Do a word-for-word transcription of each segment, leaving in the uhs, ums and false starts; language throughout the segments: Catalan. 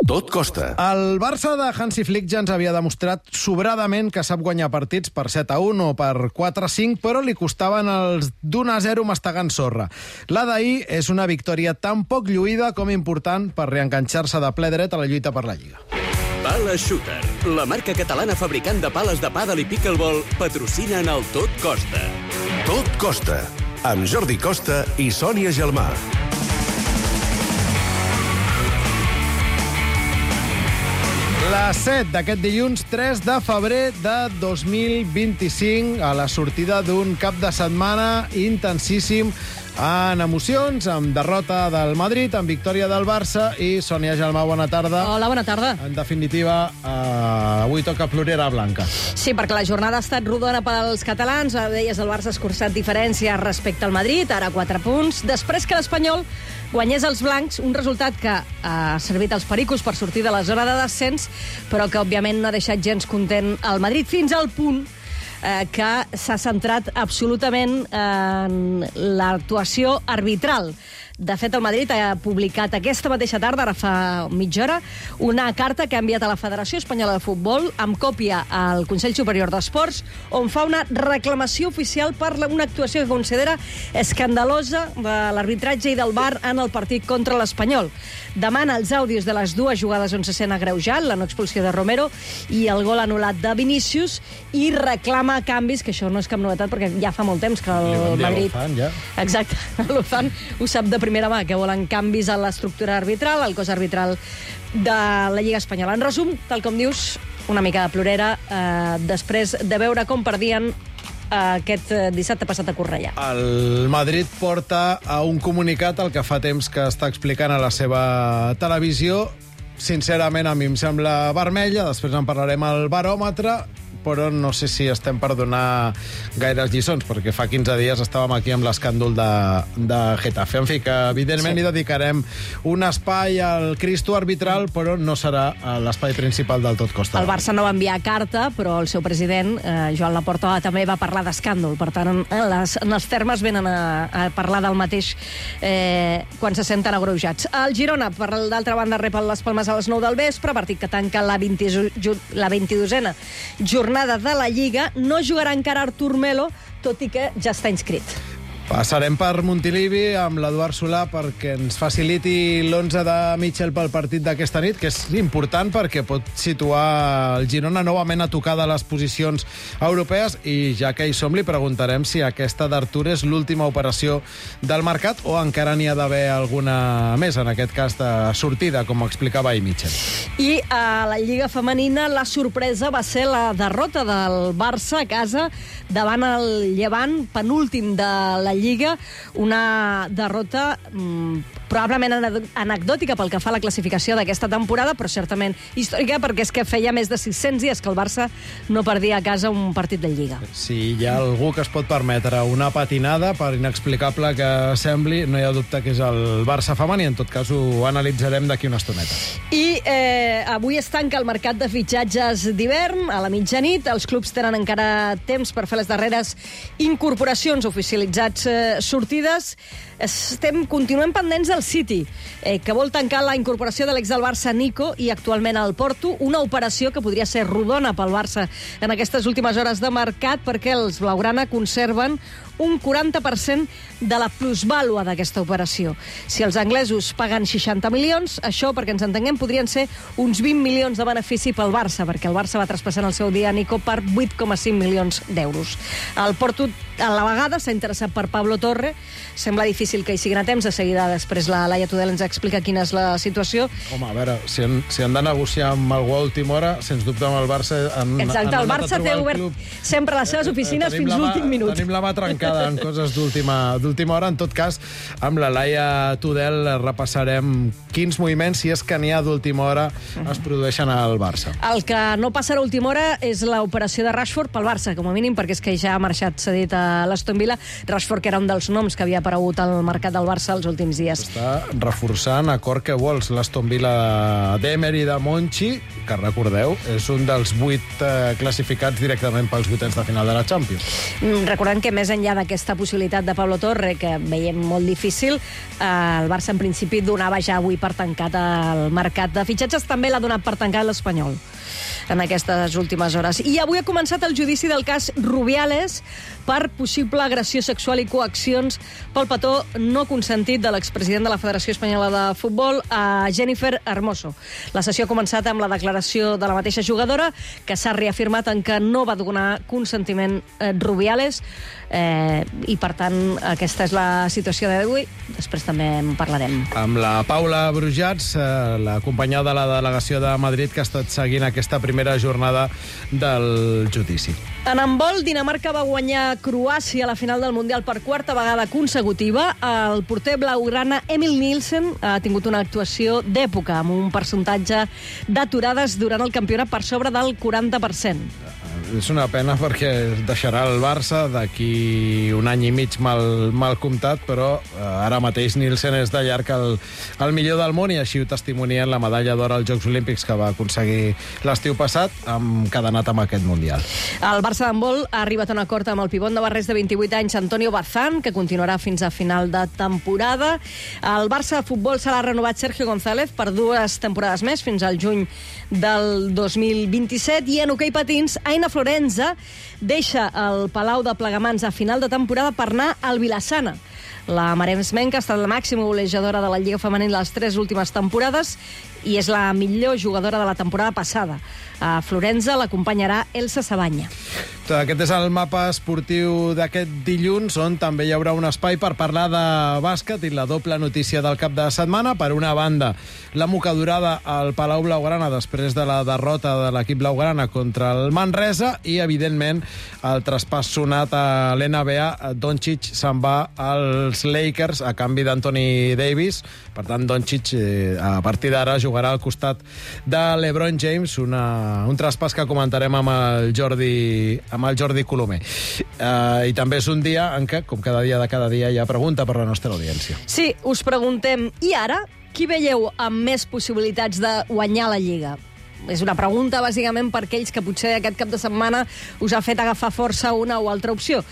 Tot costa. El Barça de Hansi Flick ja ens havia demostrat sobradament que sap guanyar partits per set a un o per quatre a cinc, però li costaven els d'un a zero mastegant sorra. La d'ahir és una victòria tan poc lluïda com important per reenganxar-se de ple dret a la lluita per la Lliga. Pala Shooter, la marca catalana fabricant de pales de pàdel i pickleball, patrocina en el Tot Costa. Tot costa, amb Jordi Costa i Sònia Gelmà. La set d'aquest dilluns tres de febrer de dos mil vint-i-cinc, a la sortida d'un cap de setmana intensíssim en emocions, amb derrota del Madrid, amb victòria del Barça i Sònia Gelmà, bona tarda. Hola, bona tarda. En definitiva, eh, avui toca plorera blanca. Sí, perquè la jornada ha estat rodona pels catalans. Deies, el Barça ha escurçat diferència respecte al Madrid, ara quatre punts. Després que l'Espanyol guanyés els blancs, un resultat que ha servit als pericos per sortir de la zona de descens, però que, òbviament, no ha deixat gens content el Madrid, fins al punt eh, que s'ha centrat absolutament en l'actuació arbitral. De fet, el Madrid ha publicat aquesta mateixa tarda, ara fa mitja hora, una carta que ha enviat a la Federació Espanyola de Futbol amb còpia al Consell Superior d'Esports, on fa una reclamació oficial per una actuació que considera escandalosa de l'arbitratge i del V A R en el partit contra l'Espanyol. Demana els àudios de les dues jugades on se sent agreujat, la no expulsió de Romero i el gol anul·lat de Vinícius, i reclama canvis, que això no és cap novetat perquè ja fa molt temps que el Madrid... L'Ofan, ja. Exacte, l'Ofan ho sap de primera mà, que volen canvis a l'estructura arbitral, al cos arbitral de la Lliga Espanyola. En resum, tal com dius, una mica de plorera eh, després de veure com perdien aquest dissabte passat a Cornellà. El Madrid porta a un comunicat el que fa temps que està explicant a la seva televisió. Sincerament, a mi em sembla vermella, després en parlarem al baròmetre, però no sé si estem per donar gaires lliçons, perquè fa quinze dies estàvem aquí amb l'escàndol de, de Getafe. En fi, que evidentment sí, hi dedicarem un espai al Cristo arbitral, però no serà l'espai principal del Tot Costa. El Barça no va enviar carta, però el seu president, eh, Joan Laporta, també va parlar d'escàndol. Per tant, en, les, en els termes venen a, a parlar del mateix eh, quan se senten agreujats. El Girona, per d'altra banda, rep les Palmes a les nou del vespre, partit que tanca la, vint, la vint-i-dosena jornada de la Lliga. No jugarà encara Artur Melo, tot i que ja està inscrit. Passarem per Montilivi amb l'Eduard Solà perquè ens faciliti l'onze de Mitchell pel partit d'aquesta nit, que és important perquè pot situar el Girona novament a tocar de les posicions europees, i ja que hi som li preguntarem si aquesta d'Artur és l'última operació del mercat o encara n'hi ha d'haver alguna més, en aquest cas de sortida, com explicava ahir Mitchell. I a la Lliga Femenina la sorpresa va ser la derrota del Barça a casa davant el Llevant, penúltim de la Lliga, una derrota mmm, probablement anecdòtica pel que fa a la classificació d'aquesta temporada, però certament històrica, perquè és que feia més de sis-cents dies que el Barça no perdia a casa un partit de Lliga. Si hi ha algú que es pot permetre una patinada, per inexplicable que sembli, no hi ha dubte que és el Barça femení. En tot cas, ho analitzarem d'aquí una estoneta. I eh, avui es tanca el mercat de fitxatges d'hivern a la mitjanit. Els clubs tenen encara temps per fer les darreres incorporacions, oficialitzats eh, sortides. Estem, continuem pendents del City, eh, que vol tancar la incorporació de l'ex del Barça Nico i actualment al Porto, una operació que podria ser rodona pel Barça en aquestes últimes hores de mercat, perquè els blaugrana conserven un quaranta per cent de la plusvàlua d'aquesta operació. Si els anglesos paguen seixanta milions, això, perquè ens entenguem, podrien ser uns vint milions de benefici pel Barça, perquè el Barça va traspassar el seu dia a Nico per vuit coma cinc milions d'euros. El Porto, a la vegada, s'ha interessat per Pablo Torre. Sembla difícil que hi siguin a temps. De seguida, després, la Laia Tudel ens explica quina és la situació. Home, a veure, si han, si han de negociar amb algú a última hora, sens dubte amb el Barça... Han, Exacte, han el Barça té obert club. sempre les seves oficines eh, fins l'últim minut. Tenim la mà trencada en coses d'última hora. En tot cas, amb la Laia Tudel repassarem quins moviments, si és que n'hi ha d'última hora, es produeixen al Barça. El que no passarà a última hora és l'operació de Rashford pel Barça, com a mínim, perquè és que ja ha marxat cedit a l'Aston Villa. Rashford, que era un dels noms que havia aparegut al mercat del Barça els últims dies. Està reforçant a cor que vols l'Aston Villa d'Emery de Monchi, que recordeu, és un dels vuit eh, classificats directament pels vuitens de final de la Champions. Recordem que més enllà d'aquesta possibilitat de Pablo Torre, que veiem molt difícil, eh, el Barça en principi donava ja avui per tancat el mercat de fitxatges, també l'ha donat per tancat l'Espanyol en aquestes últimes hores. I avui ha començat el judici del cas Rubiales per possible agressió sexual i coaccions pel petó no consentit de l'expresident de la Federació Espanyola de Futbol, a Jennifer Hermoso. La sessió ha començat amb la declaració de la mateixa jugadora, que s'ha reafirmat en que no va donar consentiment eh, Rubiales, eh, i per tant aquesta és la situació d'avui. Després també en parlarem. Amb la Paula Brujats, eh, la companya de la delegació de Madrid, que ha estat seguint aquesta primera jornada del judici. En handbol, Dinamarca va guanyar Croàcia a la final del Mundial per quarta vegada consecutiva. El porter blaugrana Emil Nielsen ha tingut una actuació d'època, amb un percentatge d'aturades durant el campionat per sobre del quaranta per cent. És una pena perquè deixarà el Barça d'aquí un any i mig mal, mal comptat, però eh, ara mateix Nielsen és de llarg el, el millor del món, i així ho testimonien la medalla d'or als Jocs Olímpics que va aconseguir l'estiu passat, amb cadenat amb aquest Mundial. El Barça d'handbol ha arribat a un acord amb el pivot navarrès de vint-i-vuit anys, Antonio Bazán, que continuarà fins a final de temporada. El Barça de futbol se l'ha renovat Sergio González per dues temporades més, fins al juny del dos mil vint-i-set, i en hoquei patins, Aina Florenza deixa el Palau de Plegamans a final de temporada per anar al Vilassana. La maresmenca ha estat la màxima golejadora de la Lliga Femenina les tres últimes temporades i és la millor jugadora de la temporada passada. A Florenza l'acompanyarà Elsa Sabanya. Aquest és el mapa esportiu d'aquest dilluns, on també hi haurà un espai per parlar de bàsquet i la doble notícia del cap de setmana. Per una banda, la mocadurada al Palau Blaugrana després de la derrota de l'equip blaugrana contra el Manresa, i, evidentment, el traspàs sonat a l'N B A. Doncic se'n va als Lakers a canvi d'Anthony Davis. Per tant, Doncic, eh, a partir d'ara, jugarà al costat de LeBron James, una, un traspàs que comentarem amb el Jordi, amb el Jordi Colomer. Uh, I també és un dia en què, com cada dia de cada dia, hi ha pregunta per la nostra audiència. Sí, us preguntem, i ara, qui veieu amb més possibilitats de guanyar la Lliga? És una pregunta, bàsicament, per aquells que potser aquest cap de setmana us ha fet agafar força una o altra opció.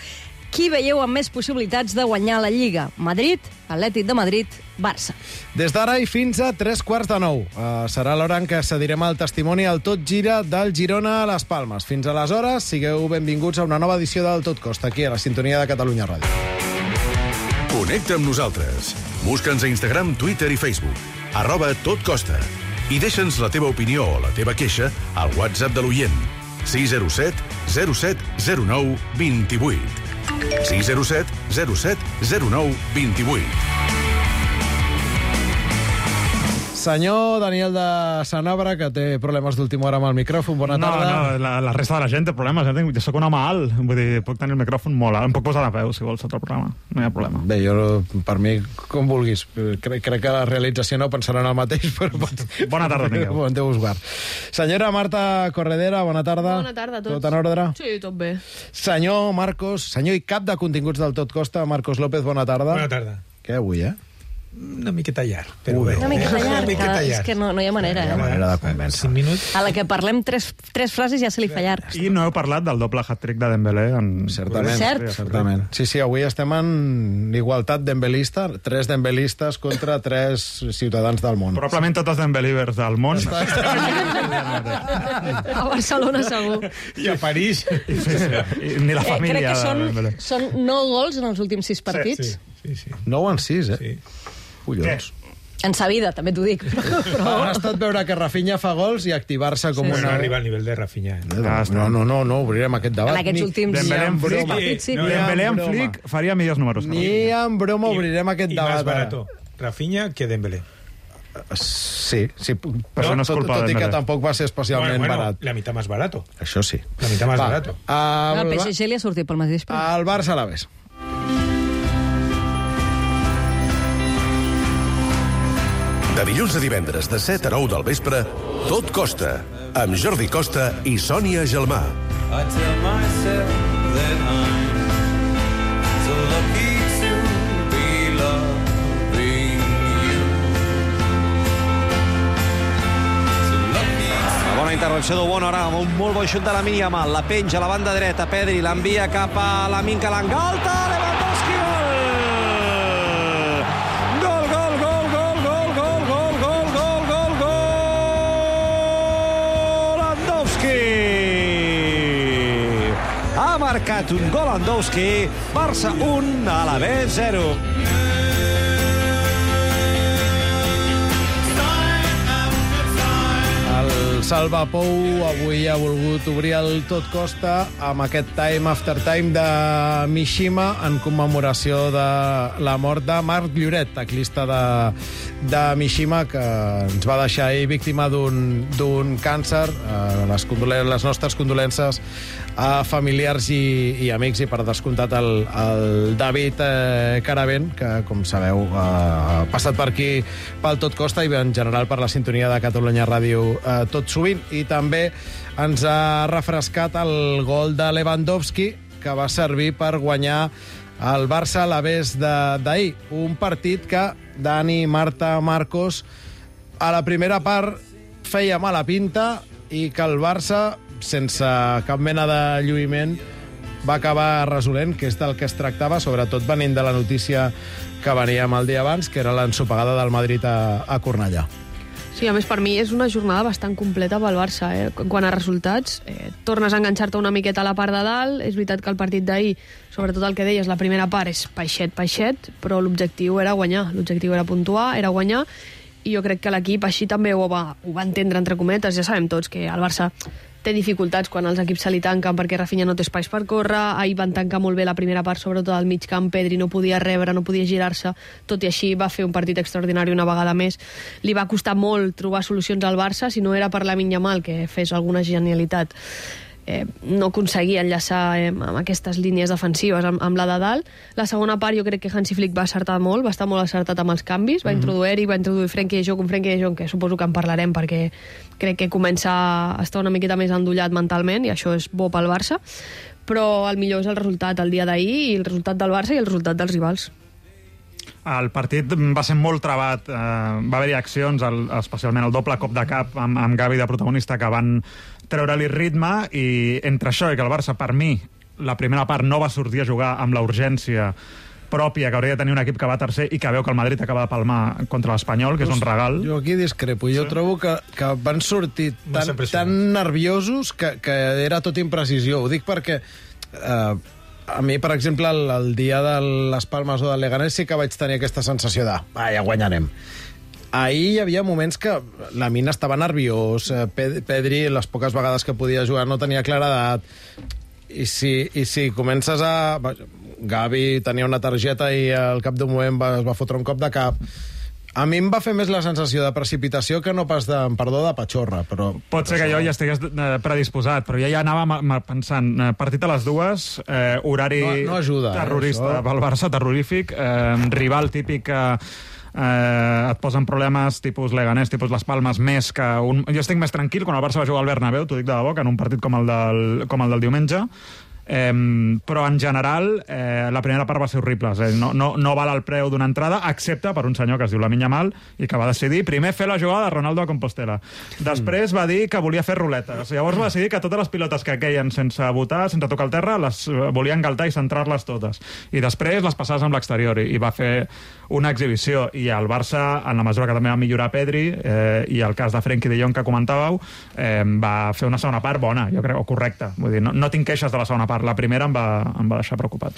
Qui veieu amb més possibilitats de guanyar la Lliga? Madrid, Atlètic de Madrid, Barça. Des d'ara i fins a tres quarts de nou. Uh, serà l'hora en què cedirem el testimoni al Tot Gira del Girona a les Palmes. Fins aleshores, sigueu benvinguts a una nova edició del Tot Costa, aquí a la sintonia de Catalunya Ràdio. Connecta amb nosaltres. Busca'ns a Instagram, Twitter i Facebook. Arroba Tot Costa. I deixa'ns la teva opinió o la teva queixa al WhatsApp de l'oient. sis zero set zero set zero nou dos vuit. sis zero set zero set zero nou dos vuit. Senyor Daniel de Sanabra, que té problemes d'última hora amb el micròfon. Bona no, tarda. No, la, la resta de la gent té problemes. Eh? Jo soc un home alt, vull dir, puc tenir el micròfon molt alt. Em puc posar de peu, si vols, sota el programa. No hi ha problema. Bé, jo, per mi, com vulguis. Crec, crec que la realització no pensaran el mateix, però... Bona tarda, tingueu. Bon Déu us guard. Senyora Marta Corredera, bona tarda. Bona tarda a tots. Tot en ordre? Sí, tot bé. Senyor Marcos, senyor i cap de continguts del Tot Costa, Marcos López, bona tarda. Bona tarda. Què avui, eh? Una miqueta llarg, però Ui, bé. Una miqueta Una llarg, miqueta és llarg. que no, no hi ha manera, Hi ha eh? manera de convèncer. Cinc minuts. A la que parlem tres, tres frases ja se li fa llarg. I no heu parlat del doble hat-trick de Dembélé. En... Certament. Cert. Certament. Sí, sí, avui estem en igualtat dembelista, tres dembelistes contra tres ciutadans del món. Probablement tots els Dembélivers del món. A Barcelona, segur. I a París. Sí, sí. I ni la Eh, crec família que de són, Dembélé. són nou gols en els últims sis partits. Sí, sí, sí. nou en sis, eh? sí. Collons. En sa vida, també t'ho dic. Però... Ha estat veure que Rafinha fa gols i activar-se com Sí. una... No arriba al nivell de Rafinha. Eh? Ah, està. No, no, no, no, obrirem aquest debat. En aquests Ni- últims Dembélé en sis Flick. partits, sí. No, Ni Dembélé en broma. Flick faria millors números. que Ni en broma obrirem aquest I debat. más ara. barato Rafinha que Dembélé. Sí, sí. Però no és tot, culpa tot de i que Dembélé. tampoc va ser especialment bueno, barat. la mitad más barato. Això sí. La mitad más Va, barato. El El, P S G li ha sortit pel mateix preu. el Barça a la vez. De dilluns a divendres, de set a nou del vespre, Tot Costa, amb Jordi Costa i Sònia Gelmà. I tell myself that I'm so lucky to be loving you. So lucky to... La bona intervenció d'Obono ara amb un molt bon xut de Lamine Yamal, la penja a la banda dreta, Pedri l'envia cap a Lamine, que l'engalta, Lewandowski, gol! Gol, gol, gol, gol, gol, gol, gol, gol, gol, gol, gol! Lewandowski! Ha marcat un gol Lewandowski, Barça un, Alavés zero. Salva Pou avui ha volgut obrir el Tot Costa amb aquest time after time de Mishima en commemoració de la mort de Marc Lloret, teclista de, de Mishima, que ens va deixar ahir víctima d'un d'un càncer. Eh, les, les nostres condolences a familiars i, i amics, i per descomptat el, el David eh, Caravent, que com sabeu eh, ha passat per aquí pel Tot Costa i en general per la sintonia de Catalunya Ràdio eh, tot sovint, i també ens ha refrescat el gol de Lewandowski, que va servir per guanyar el Barça a l'Alavés d'ahir. Un partit que Dani, Marta, Marcos, a la primera part feia mala pinta i que el Barça, sense cap mena de lluïment, va acabar resolent, que és del que es tractava, sobretot venint de la notícia que veníem el dia abans, que era l'ensopegada del Madrid a, a Cornellà. Sí, a més, per mi és una jornada bastant completa pel Barça. Eh? Quant a resultats, eh, tornes a enganxar-te una miqueta a la part de dalt. És veritat que el partit d'ahir, sobretot el que deies, la primera part és peixet, peixet, però l'objectiu era guanyar. L'objectiu era puntuar, era guanyar, i jo crec que l'equip així també ho va, ho va entendre, entre cometes. Ja sabem tots que el Barça té dificultats quan els equips se li tanquen perquè Rafinha no té espais per córrer. Ahir van tancar molt bé la primera part, sobretot al mig camp. Pedri no podia rebre, no podia girar-se, tot i així va fer un partit extraordinari una vegada més. Li va costar molt trobar solucions al Barça, si no era per Lamine Yamal, que fes alguna genialitat. Eh, no aconseguia enllaçar eh, amb aquestes línies defensives amb, amb la de dalt. La segona part jo crec que Hansi Flick va acertar molt, va estar molt acertat amb els canvis, va mm-hmm. introduir-hi, va introduir Frenkie de Jong, un Frenkie de Jong que suposo que en parlarem perquè crec que comença a estar una miqueta més endollat mentalment, i això és bo pel Barça, però el millor és el resultat el dia d'ahir, i el resultat del Barça i el resultat dels rivals. El partit va ser molt trebat, eh, va haver-hi accions, el, especialment el doble cop de cap amb, amb Gavi de protagonista, que van treure-li ritme, i entre això i que el Barça, per mi, la primera part no va sortir a jugar amb la urgència pròpia que hauria de tenir un equip que va tercer i que veu que el Madrid acaba de palmar contra l'Espanyol, que és un regal. Jo aquí discrepo. Jo sí. trobo que, que van sortir tan, tan nerviosos que, que era tot imprecisió. Ho dic perquè eh, a mi, per exemple, el, el dia de les Palmes o del Leganés sí que vaig tenir aquesta sensació de ah, ja guanyarem. Ahir hi havia moments que la Mina estava nerviós, Pedri, les poques vegades que podia jugar, no tenia claredat. I si, i si comences a... Gavi tenia una targeta i al cap d'un moment va, es va fotre un cop de cap. A mi em va fer més la sensació de precipitació que no pas de, perdó, de patxorra. Però, Pot ser que jo ja estigués predisposat, però ja ja anava pensant, partit a les dues, eh, horari no, no ajuda, terrorista eh, pel Barça, terrorífic, eh, rival típic que eh, et posen problemes tipus Leganés, tipus Les Palmes, més que un... Jo estic més tranquil quan el Barça va jugar al Bernabéu, t'ho dic de debò, que en un partit com el del, com el del diumenge. Eh, però en general eh, la primera part va ser horrible, eh? no, no, no val el preu d'una entrada, excepte per un senyor que es diu Lamine Yamal i que va decidir primer fer la jugada de Ronaldo a Compostela, després va dir que volia fer ruletes, llavors va decidir que totes les pilotes que queien sense botar, sense tocar el terra, les volia engaltar i centrar-les totes, i després les passades amb l'exterior, i, i va fer una exhibició. I el Barça, en la mesura que també va millorar Pedri eh, i el cas de Frenkie de Jong que comentàveu, eh, va fer una segona part bona, jo crec, o correcta. Vull dir, no, no tinc queixes de la segona part. La primera em va, em va deixar preocupat.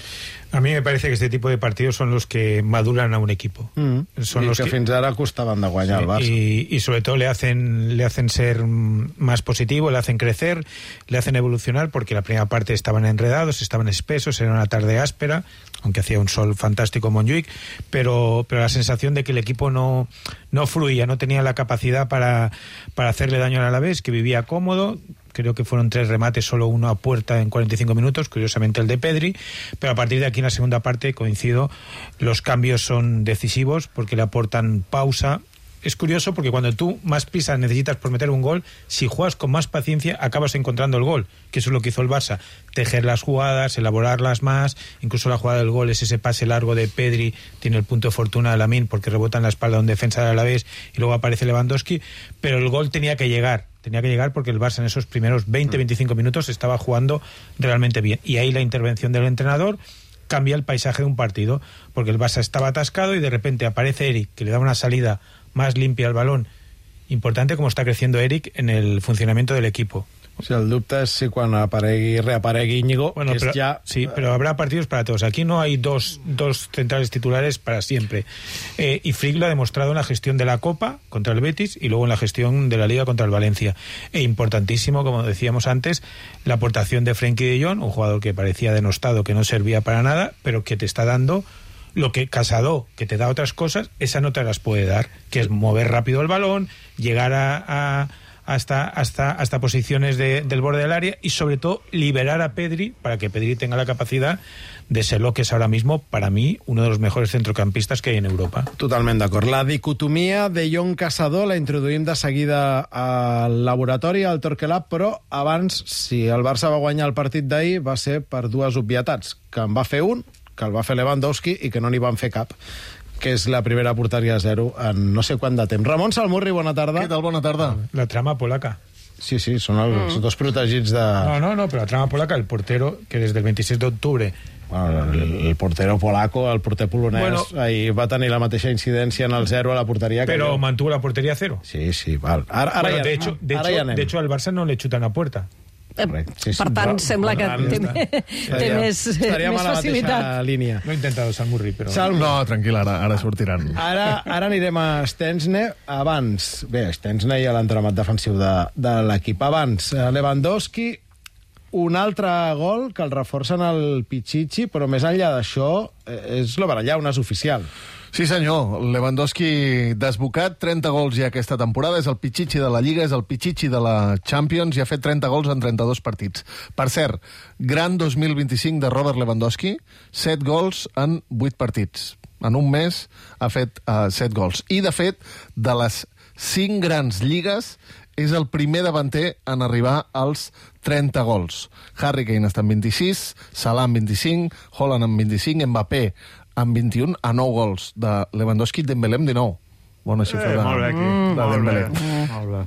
A mí me parece que este tipo de partidos son los que maduran a un equipo. Mm. Son y los que, que fins ara costaban de guanyar, sí, al Barça. Y, y sobre todo le hacen, le hacen ser más positivo, le hacen crecer, le hacen evolucionar, porque la primera parte estaban enredados, estaban espesos, era una tarde áspera, aunque hacía un sol fantástico en Montjuic, pero, pero la sensación de que el equipo no, no fluía, no tenía la capacidad para, para hacerle daño al Alavés, que vivía cómodo. Creo que fueron tres remates, solo uno a puerta en cuarenta y cinco minutos, curiosamente el de Pedri, pero a partir de aquí en la segunda parte, coincido, los cambios son decisivos porque le aportan pausa. Es curioso porque cuando tú más prisa necesitas por meter un gol, si juegas con más paciencia acabas encontrando el gol, que eso es lo que hizo el Barça, tejer las jugadas, elaborarlas más. Incluso la jugada del gol es ese pase largo de Pedri, tiene el punto de fortuna de Lamine porque rebota en la espalda de un defensa del Alavés y luego aparece Lewandowski, pero el gol tenía que llegar. tenía que llegar porque el Barça en esos primeros veinte a veinticinco minutos estaba jugando realmente bien. Y ahí la intervención del entrenador cambia el paisaje de un partido, porque el Barça estaba atascado y de repente aparece Eric, que le da una salida más limpia al balón. Importante como está creciendo Eric en el funcionamiento del equipo. O sigui, el dubte és si quan aparegui, reaparegui Íñigo, bueno, que pero, es ya... Sí, pero habrá partidos para todos. Aquí no hay dos, dos centrales titulares para siempre. Eh, y Frick lo ha demostrado en la gestión de la Copa contra el Betis y luego en la gestión de la Liga contra el Valencia. E importantísimo, como decíamos antes, la aportación de Frenkie de Jong, un jugador que parecía denostado, que no servía para nada, pero que te está dando lo que Casado, que te da otras cosas, esa no te las puede dar, que es mover rápido el balón, llegar a... a hasta, hasta, hasta posiciones de, del borde del área y sobre todo liberar a Pedri para que Pedri tenga la capacidad de ser lo que es ahora mismo, para mí, uno de los mejores centrocampistas que hay en Europa. Totalment d'acord. La dicotomia de Jong-Caçador la introduïm de seguida al laboratori, al Torquelab, però abans, si el Barça va guanyar el partit d'ahir, va ser per dues obvietats, que en va fer un, que el va fer Lewandowski i que no n'hi van fer cap, que és la primera porteria a zero en no sé quant de temps. Ramon Salmurri, bona tarda. Què tal? Bona tarda. La trama polaca. Sí, sí, són els mm. dos protegits de... No, no, no, però la trama polaca, el portero, que des del veintiséis d'octubre... Bueno, el, el portero polaco, el porter polonès, bueno, ahir va tenir la mateixa incidència en el zero a la porteria. Però que mantuvo la porteria a cero. Sí, sí, val. Ara, ara bueno, ja, de hecho, de, ara hecho, ja de hecho, al Barça no le chutan a puerta. Sí, sí. Per tant, Ra sembla que té, té més, més facilitat. Línia. Lo he intentado, Salmurri, però... Salm... No, tranquil, ara, ara sortiran. Ara, ara anirem a Stensne. Abans, bé, Stensne i l'entramat defensiu de, de l'equip. Abans, Lewandowski, un altre gol que el reforcen el Pichichi, però més enllà d'això, és l'overallà, un és oficial. Sí, senyor. Lewandowski desbocat, trenta gols ja aquesta temporada. És el Pichichi de la Lliga, és el Pichichi de la Champions i ha fet trenta gols en trenta-dos partits. Per cert, gran dos mil vint-i-cinc de Robert Lewandowski, set gols en vuit partits. En un mes ha fet uh, set gols. I, de fet, de les cinc grans lligues, és el primer davanter en arribar als trenta gols. Harry Kane està en vint-i-sis, Salah en vint-i-cinc, Haaland en vint-i-cinc, Mbappé amb vint-i-un, a nou gols de Lewandowski, Dembélé amb dinou. Bona xifra de, eh, molt bé aquí. de Dembélé. Mm. Molt bé.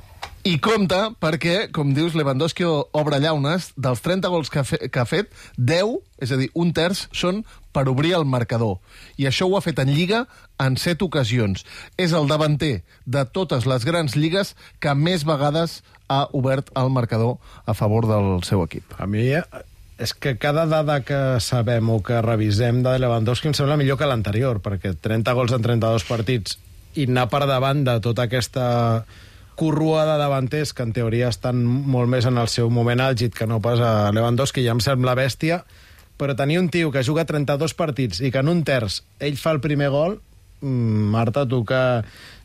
I compte, perquè, com dius, Lewandowski obre llaunes, dels trenta gols que ha, fe, que ha fet, deu, és a dir, un terç, són per obrir el marcador. I això ho ha fet en Lliga en set ocasions. És el davanter de totes les grans lligues que més vegades ha obert el marcador a favor del seu equip. A mi és que cada dada que sabem o que revisem de Lewandowski em sembla millor que l'anterior, perquè trenta gols en trenta-dos partits i anar per davant de tota aquesta corrua de davanters que en teoria estan molt més en el seu moment àlgid que no pas a Lewandowski, ja em sembla bèstia, però tenir un tio que juga trenta-dos partits i que en un terç ell fa el primer gol, Marta, tu que,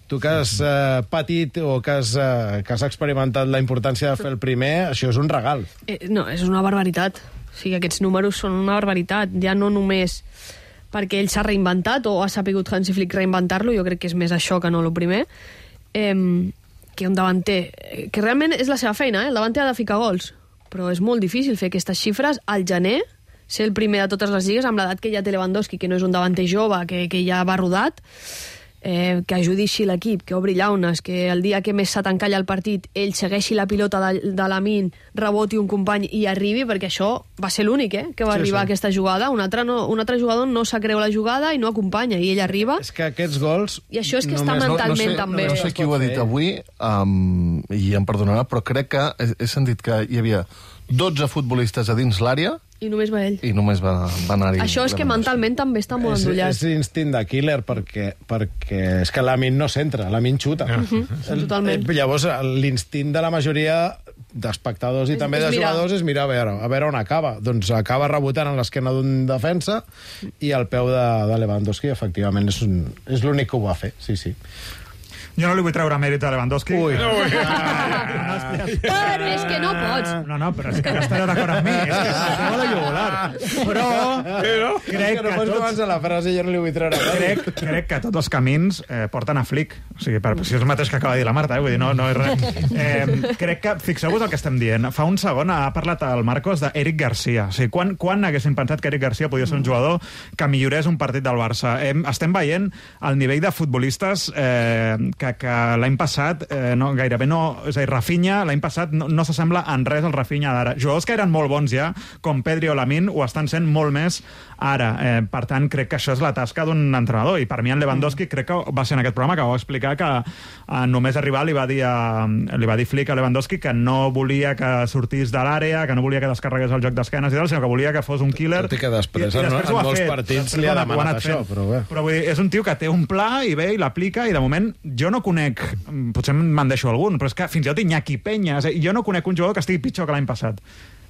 tu que has eh, patit o que has, eh, que has experimentat la importància de fer el primer, això és un regal. Eh, no, és una barbaritat. O sigui, aquests números són una barbaritat. Ja no només perquè ell s'ha reinventat o ha sapigut Hansi Flick reinventar-lo, jo crec que és més això que no el primer, eh, que un davanter, que realment és la seva feina, eh? El davanter ha de ficar gols, però és molt difícil fer aquestes xifres al gener, ser el primer de totes les lligues amb l'edat que ja té Lewandowski, que no és un davanter jove, que, que ja va rodat, eh, que ajudi així l'equip, que obri llaunes, que el dia que més s'ha t'encalla el partit ell segueixi la pilota de, de Lamine, reboti un company i arribi, perquè això va ser l'únic eh, que va sí, arribar sí. a aquesta jugada. Un altre, no, un altre jugador no s'ha creu la jugada i no acompanya, i ell arriba. És que aquests gols... I això és que està mentalment no, no sé, també. No sé qui ho ha dit avui, um, i em perdonarà, però crec que he, he sentit que hi havia dotze futbolistes a dins l'àrea i només va ell. I només va, va anar-hi. Això és que mentalment també està molt endollat. És, és instint de killer, perquè, perquè és que Lamine no centra, Lamine xuta. Uh -huh, el, totalment. Llavors, l'instint de la majoria d'espectadors i és, també és de mirar. jugadors és mirar a veure, a veure on acaba. Doncs acaba rebotant en l'esquena d'un defensa i al peu de, de Lewandowski, efectivament, és, un, és l'únic que ho va fer, sí, sí. Jo no li vull treure mèrit a Lewandowski. Ui. No, Ui. Però és que no pots. No, no, però és que no estareu d'acord amb mi. És que esteu a la jugular. Però, però crec que, no que tots... abans de la frase jo no li vull treure mèrit. Crec, crec que tots els camins eh, porten a Flick. O sigui, per, si és el mateix que acaba de dir la Marta, eh? Vull dir, no, no és res. Eh, crec que, fixeu-vos el que estem dient. Fa un segon ha parlat el Marcos d'Eric Garcia. O sigui, quan, quan haguéssim pensat que Eric Garcia podia ser un jugador que millorés un partit del Barça? Eh, estem veient el nivell de futbolistes eh, que que, que l'any passat eh, no, gairebé no... És a dir, Rafinha l'any passat no, no s'assembla en res al Rafinha d'ara. Jugadors que eren molt bons ja, com Pedri o Lamine, ho estan sent molt més ara. Eh, per tant, crec que això és la tasca d'un entrenador. I per mi en Lewandowski crec que va ser en aquest programa que va explicar que eh, només arribar li va dir a, li va dir Flick a Lewandowski que no volia que sortís de l'àrea, que no volia que descarregués el joc d'esquenes i tal, sinó que volia que fos un killer. Tot i que després, I, i en, després en ho ha molts fet. partits li ha demanat això, però bé. Però vull dir, és un tio que té un pla i ve i l'aplica, i de moment jo no conec, potser me'n deixo algun, però és que fins i tot Iñaki Peña, és a dir, jo no conec un jugador que estigui pitjor que l'any passat.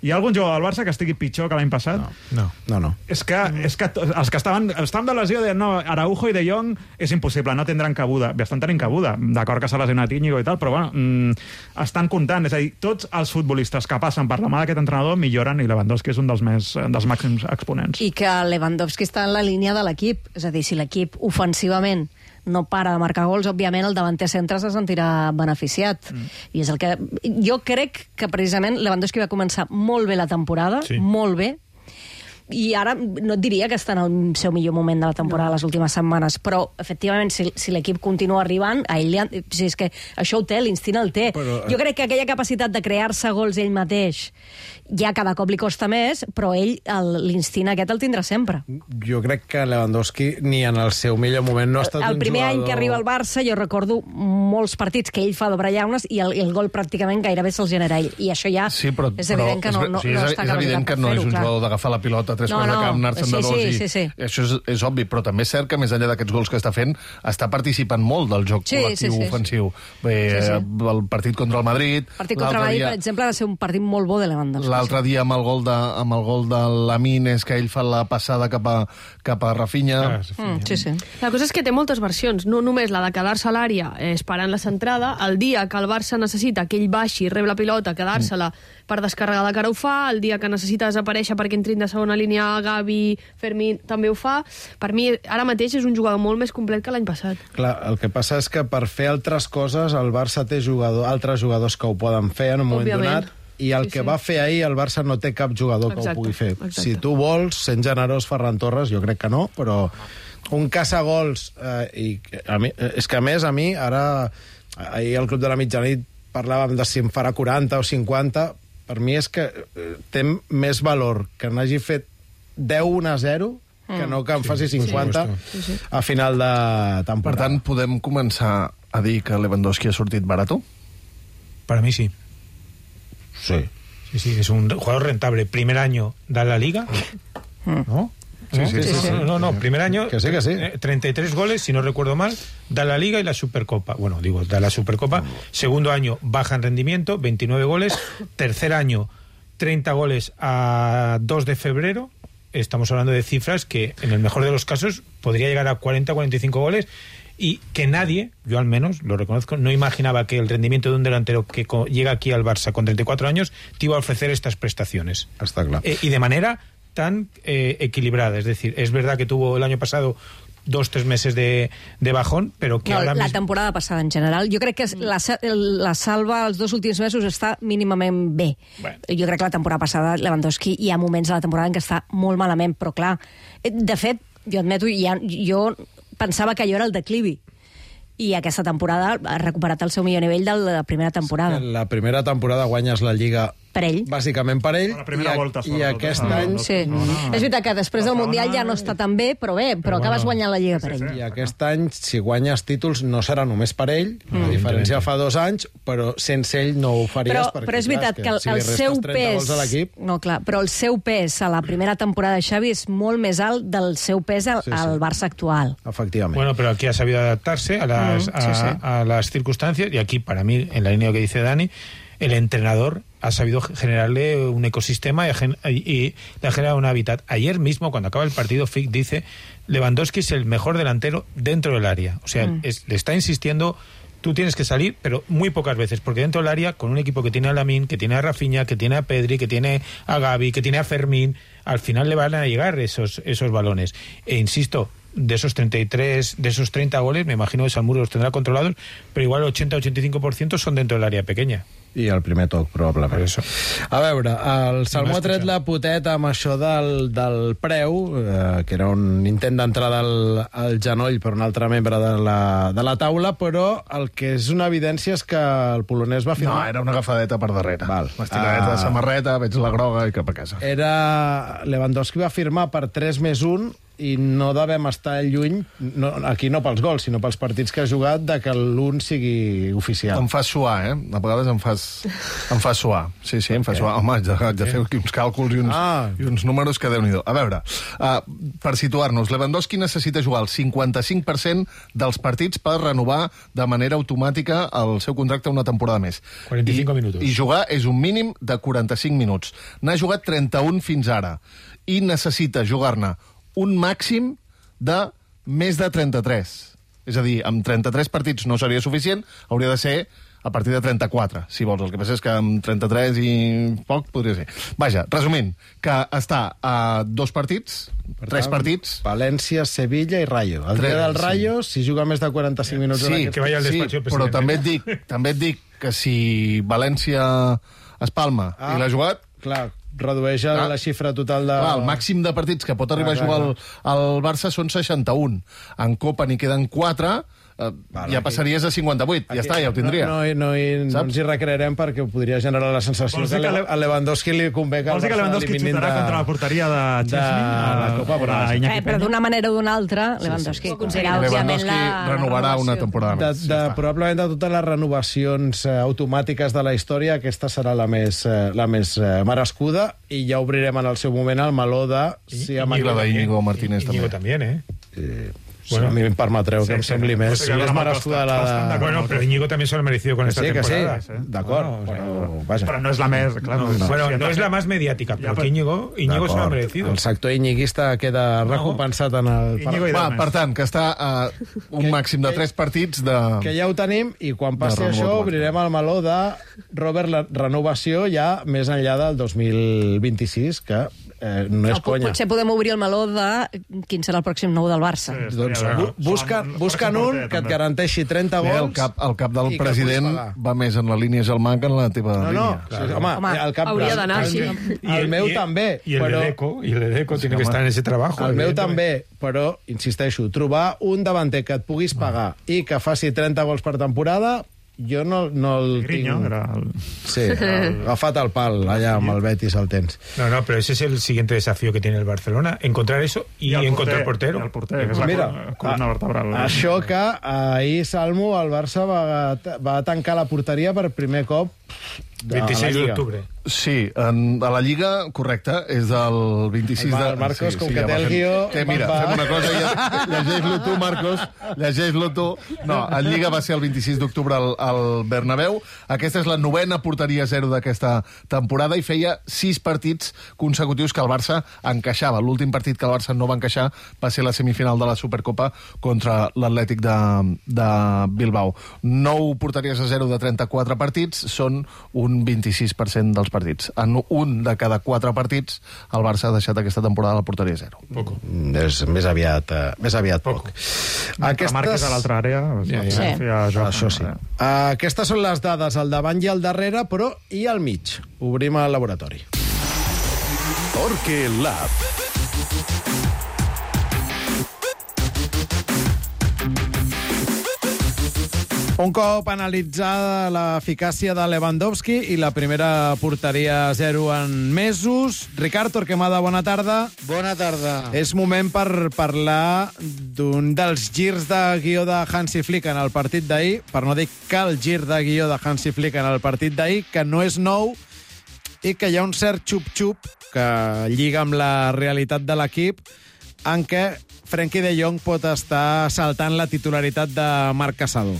Hi ha algun jugador del Barça que estigui pitjor que l'any passat? No, no, no. És que, és que els que estaven, estaven de lesió deien, no, Araujo i De Jong és impossible, no tindran cabuda. Bé, estan tenint cabuda, d'acord que s'ha lesionat Íñigo i tal, però bueno, mmm, estan comptant. És a dir, tots els futbolistes que passen per la mà d'aquest entrenador milloren, i Lewandowski és un dels, més, dels màxims exponents. I que Lewandowski està en la línia de l'equip. És a dir, si l'equip ofensivament no para de marcar gols, òbviament el davanter centre se sentirà beneficiat. Mm. I és el que... Jo crec que precisament Lewandowski va començar molt bé la temporada, sí. molt bé, i ara no et diria que està en el seu millor moment de la temporada no. les últimes setmanes, però efectivament si, si l'equip continua arribant a ell li ha, si és que això ho té, l'instint el té però, eh... jo crec que aquella capacitat de crear-se gols ell mateix ja cada cop li costa més, però ell l'instint aquest el tindrà sempre. Jo crec que Lewandowski ni en el seu millor moment no ha estat el, el un primer jugador... any que arriba al Barça jo recordo molts partits que ell fa d'obrar llaunes i el, el gol pràcticament gairebé se'l genera ell, i això ja sí, però, és evident però, que no, no, sí, és, no està és evident que no és un clar. jugador d'agafar la pilota tres no, quarts no, de camp, anar-se'n sí, de dos sí, i... sí, sí. Això és, és obvi, però també és cert que més enllà d'aquests gols que està fent està participant molt del joc sí, col·lectiu sí, sí, ofensiu. Bé, sí, sí. el partit contra el Madrid... El partit contra el Madrid, dia... per exemple, va ser un partit molt bo de Lewandowski. L'altre dia amb el gol de, amb el gol de Lamine és que ell fa la passada cap a, cap a Rafinha. Ah, mm, sí, sí. La cosa és que té moltes versions, no només la de quedar-se a l'àrea eh, esperant la centrada, el dia que el Barça necessita que ell baixi, rep la pilota, quedar-se-la mm. per descarregar la cara ho fa, el dia que necessita desaparèixer perquè entrin de segona línia Gavi, Fermín, també ho fa. Per mi, ara mateix és un jugador molt més complet que l'any passat. Clar, el que passa és que per fer altres coses el Barça té jugador, altres jugadors que ho poden fer en un moment Òbviament. donat, i el Sí, que sí. va fer ahir el Barça no té cap jugador Exacte, que ho pugui fer. exacte. Si tu vols, sent generós, Ferran Torres, jo crec que no, però un caçagols, eh, i a mi, és que a més a mi, ara, ahir al Club de la Mitjanit parlàvem de si em farà quaranta o cinquanta, per mi és que eh, té més valor que n'hagi fet deu a zero que no que em Sí, faci cinquanta sí, sí. a final de Per temporada. tant, podem començar a dir que Lewandowski ha sortit barato? Para mí sí. Sí. Sí, sí, es un jugador rentable. Primer año da la Liga, ¿no? Sí, sí, sí, sí. No, no, no, primer año, Que sí, que sí. eh, treinta y tres goles, si no recuerdo mal, da la Liga y la Supercopa. Bueno, digo, da la Supercopa. Segundo año, baja en rendimiento, veintinueve goles. Tercer año, treinta goles a dos de febrero. Estamos hablando de cifras que, en el mejor de los casos, podría llegar a cuarenta, cuarenta y cinco goles. Y que nadie, yo al menos lo reconozco, no imaginaba que el rendimiento de un delantero que co- llega aquí al Barça con treinta y cuatro años te iba a ofrecer estas prestaciones. Està clar. Eh, y de manera tan eh, equilibrada. Es decir, es verdad que tuvo el año pasado dos, tres meses de, de bajón, pero que No, ahora la mismo... temporada passada en general. Jo crec que la, sa- la salva els dos últims mesos està mínimament bé. Bueno. Jo crec que la temporada passada Lewandowski hi ha moments de la temporada en què està molt malament, però clar, eh, de fet, jo admeto, ja, jo pensava que allò era el declivi. I aquesta temporada ha recuperat el seu millor nivell de la primera temporada. La primera temporada guanyes la Lliga Per ell. bàsicament per ell, La primera i, volta, i sobretot, aquest eh? any... No, Sí. no, no. És veritat que després La del Mundial segona- ja no està tan bé, però bé, però, Però acabes bueno. guanyant la Lliga per Sí, ell. sí. I aquest any, si guanyes títols, no serà només per ell, mm. a diferència fa dos anys, però sense ell no ho faries. Però, perquè, però és clar, veritat que el, si el li restes seu trenta pes... gols a l'equip... No, clar, però el seu pes a la primera temporada de Xavi és molt més alt del seu pes al, Sí, sí. al Barça actual. Efectivament. Bueno, pero aquí ha sabido adaptarse a las, Mm, sí, a, sí. a las circunstancias, y aquí, para mí, en la línea que dice Dani, el entrenador ha sabido generarle un ecosistema y, gen- y le ha generado un hábitat. Ayer mismo, cuando acaba el partido, Flick dice Lewandowski es el mejor delantero dentro del área. O sea, Mm. es- le está insistiendo, tú tienes que salir, pero muy pocas veces, porque dentro del área, con un equipo que tiene a Lamine, que tiene a Rafinha, que tiene a Pedri, que tiene a Gavi, que tiene a Fermín, al final le van a llegar esos, esos balones. E insisto, de esos treinta y tres, de esos treinta goles, me imagino que Salmuro los tendrá controlados, pero igual el ochenta a ochenta y cinco por ciento son dentro del área pequeña. I el primer toc, probablement. Per això. A veure, el Salmó ha tret la poteta amb això del, del preu, eh, que era un intent d'entrada al, al genoll per un altre membre de la, de la taula, però el que és una evidència és que el polonès va No, firmar... era una agafadeta per darrere. Val. Estiradeta Ah. de samarreta, veig la groga i cap a casa. Era... Lewandowski va firmar per tres més un i no devem estar lluny, no, aquí no pels gols, sinó pels partits que ha jugat, de que l'un sigui oficial. Em fa suar, eh? A vegades em fas, em fa suar. Sí, sí, em fa suar. Home, haig de, haig de fer uns càlculs i uns, Ah. i uns números que Déu-n'hi-do. A veure, uh, per situar-nos, Lewandowski necessita jugar el cinquanta-cinc per cent dels partits per renovar de manera automàtica el seu contracte una temporada més. quaranta-cinc I, minuts. I jugar és un mínim de quaranta-cinc minuts. N'ha jugat trenta-un fins ara i necessita jugar-ne un màxim de més de trenta-tres. És a dir, amb trenta-tres partits no seria suficient, hauria de ser a partir de trenta-quatre, si vols. El que passa és que amb trenta-tres i poc podria ser. Vaja, resumint, que està a dos partits, Per tres tant, partits... València, Sevilla i Rayo. El Tres, dia del sí. Rayo, si juga més de quaranta-cinc minuts... en Sí, aquest- que vaya al sí, despacho del però presidente. també et dic, també et dic que si València es palma Ah. i l'ha jugat, Clar, redueix Clar. la xifra total de... clar, el màxim de partits que pot arribar Clar, a jugar clar, el, el Barça són seixanta-un. En Copa n'hi queden quatre, eh, Val, ja aquí- passaries a cinquanta-vuit. Ja està, ja ho tindria. No, no, no, hi- no Saps? ens hi recrearem perquè ho podria generar la sensació Vols que dir que a Le- Le- a Lewandowski li convé que el Vols dir que Barça Lewandowski l'eliminin xutarà de- contra la porteria de de Chesney? la Copa, però a sí. Iñaki Eh, però Peña? d'una manera o d'una altra, Lewandowski aconseguirà, òbviament, Lewandowski la, la renovarà una renovació. temporada De, més. de, probablement de totes les renovacions eh, automàtiques de la història, aquesta serà la més, eh, la més eh, merescuda, i ja obrirem en el seu moment el meló de... Si amb I la aquest- d'Iñigo Martínez Íñigo també. también, ¿eh? Eh, Bueno. a mi em permetreu que em sembli més, Sí, sí, més sí, merescuda la bastant de... d'acord. Bueno, pero Íñigo también se lo ha merecido con Que esta sí, que sí, temporada. d'acord, No, o sea, però, vaja. Però no és la més... Clar, no, Bueno, sí, no es la más mediática, pero Ya, que Íñigo, Íñigo se lo ha D'acord. merecido. El sector iñiguista queda recompensat en el... Íñigo i Va, Deu per més. tant, que està a un màxim de tres partits de... Que ja ho tenim, i quan passi De això remot, obrirem el meló de Robert, la renovació ja més enllà del dos mil vint-i-sis, que eh, no és O po- conya. Potser podem obrir el meló de quin serà el pròxim nou del Barça. Sí, Doncs estaria bé. bu busca, Són- busca'n són un porter, que et també. garanteixi trenta Bé, gols. el cap, el cap del i que president puguis pagar. va més en la línia Gelmà que en la teva No, no, línia. sí, home, Home, el cap... hauria d'anar, el, sí. El, meu també, Y el però... de Deco, y el de Deco tiene que estar en ese trabajo. El meu evidentemente. també, però, insisteixo, trobar un davanter que et puguis pagar i que faci trenta gols per temporada, jo no, no el Griño, tinc... era el... Sí, el, agafat el pal, allà amb el Betis el tens. No, no, pero ese es el siguiente desafío que tiene el Barcelona, encontrar eso y, el encontrar porter, portero. i el porter, que és la Mira, col- columna vertebral. Això que ahir, Salmo, el Barça va, va tancar la porteria per primer cop de veintiséis la de Lliga. octubre. Sí, en, a la Lliga, correcte, és del vint-i-sis El de... Mar- Marcos, sí, com sí, que ja té va el fent- guió, Que, mira, va- fem una cosa, ja, llegeix-lo tu, Marcos, llegeix-lo tu. No, el Lliga va ser el vint-i-sis d'octubre al, al Bernabéu. Aquesta és la novena porteria zero d'aquesta temporada i feia sis partits consecutius que el Barça encaixava. L'últim partit que el Barça no va encaixar va ser la semifinal de la Supercopa contra l'Atlètic de, de Bilbao. Nou porteries a zero de trenta-quatre partits són un vint-i-sis per cent dels partits. En un de cada quatre partits el Barça ha deixat aquesta temporada la porteria zero. Poco. Mm, És més aviat, uh, més aviat poc. Aquestes... Marques a l'altra àrea... Ja, ja. Sí. Sí. Això sí. Uh, aquestes són les dades al davant i al darrere, però i al mig. Obrim el laboratori. Torque Lab. Un cop analitzada l'eficàcia de Lewandowski i la primera porteria zero en mesos, Ricard Torquemada, bona tarda. Bona tarda. És moment per parlar d'un dels girs de guió de Hansi Flick en el partit d'ahir, per no dir que el gir de guió de Hansi Flick en el partit d'ahir, que no és nou i que hi ha un cert xup-xup que lliga amb la realitat de l'equip, en què Frenkie de Jong pot estar saltant la titularitat de Marc Casado.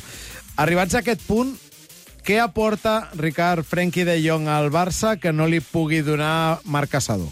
Arribats a aquest punt, què aporta, Ricard, Frenkie de Jong al Barça que no li pugui donar Marc Casado?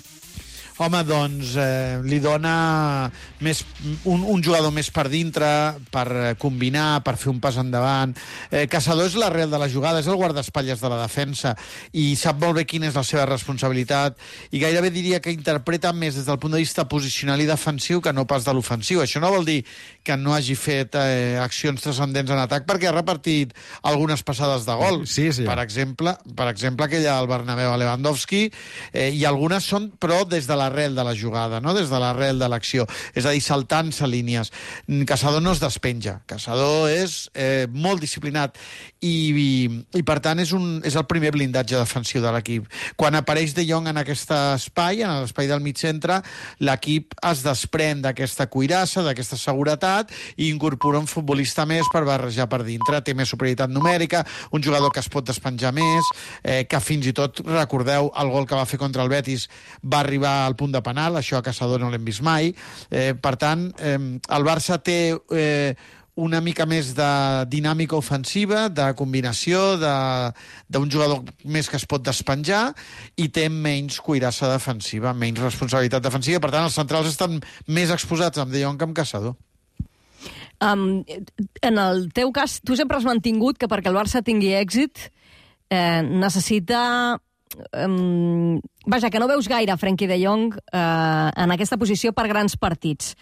home, doncs eh, li dona més, un, un jugador més per dintre, per combinar, per fer un pas endavant. Eh, Caçador és l'arrel de la jugada, és el guardaespatlles de la defensa, i sap molt bé quina és la seva responsabilitat, i gairebé diria que interpreta més des del punt de vista posicional i defensiu que no pas de l'ofensiu. Això no vol dir que no hagi fet eh, accions transcendents en atac, perquè ha repartit algunes passades de gol. Sí, sí. Per exemple, per exemple aquella al Bernabéu a Lewandowski, eh, i algunes són, però, des de l'arrel de la jugada, no? Des de l'arrel de l'acció. És a dir, saltant-se línies. Caçador no es despenja. Caçador és eh, molt disciplinat i, i, i, per tant, és, un, és el primer blindatge defensiu de l'equip. Quan apareix De Jong en aquest espai, en l'espai del mig centre, l'equip es desprèn d'aquesta cuirassa, d'aquesta seguretat, i incorpora un futbolista més per barrejar per dintre. Té més superioritat numèrica, un jugador que es pot despenjar més, eh, que fins i tot, recordeu, el gol que va fer contra el Betis va arribar al punt de penal, això a Caçador no l'hem vist mai. Eh, per tant, eh, el Barça té eh, una mica més de dinàmica ofensiva, de combinació, d'un jugador més que es pot despenjar, i té menys cuirassa defensiva, menys responsabilitat defensiva. Per tant, els centrals estan més exposats amb De Jong que amb Caçador. Um, en el teu cas, tu sempre has mantingut que perquè el Barça tingui èxit eh, necessita... Um, vaja, que no veus gaire Frenkie de Jong eh, en aquesta posició per grans partits.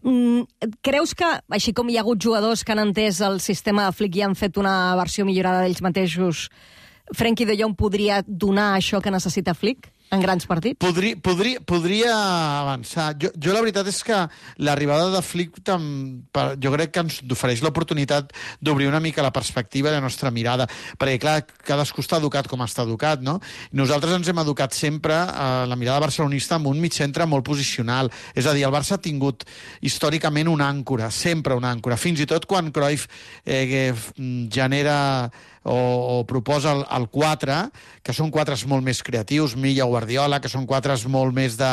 Um, creus que, així com hi ha hagut jugadors que han entès el sistema de Flick i han fet una versió millorada d'ells mateixos, Frenkie de Jong podria donar això que necessita Flick en grans partits? Podria, podria, podria avançar. Jo, jo la veritat és que l'arribada de Flick tam, per, jo crec que ens ofereix l'oportunitat d'obrir una mica la perspectiva de la nostra mirada, perquè clar, cadascú està educat com està educat, no? Nosaltres ens hem educat sempre a la mirada barcelonista amb un mitcentre molt posicional, és a dir, el Barça ha tingut històricament una àncora, sempre una àncora, fins i tot quan Cruyff eh, genera o, o proposa el, el quatre, que són quatres molt més creatius, Milla, Guardiola, que són quatres molt més de,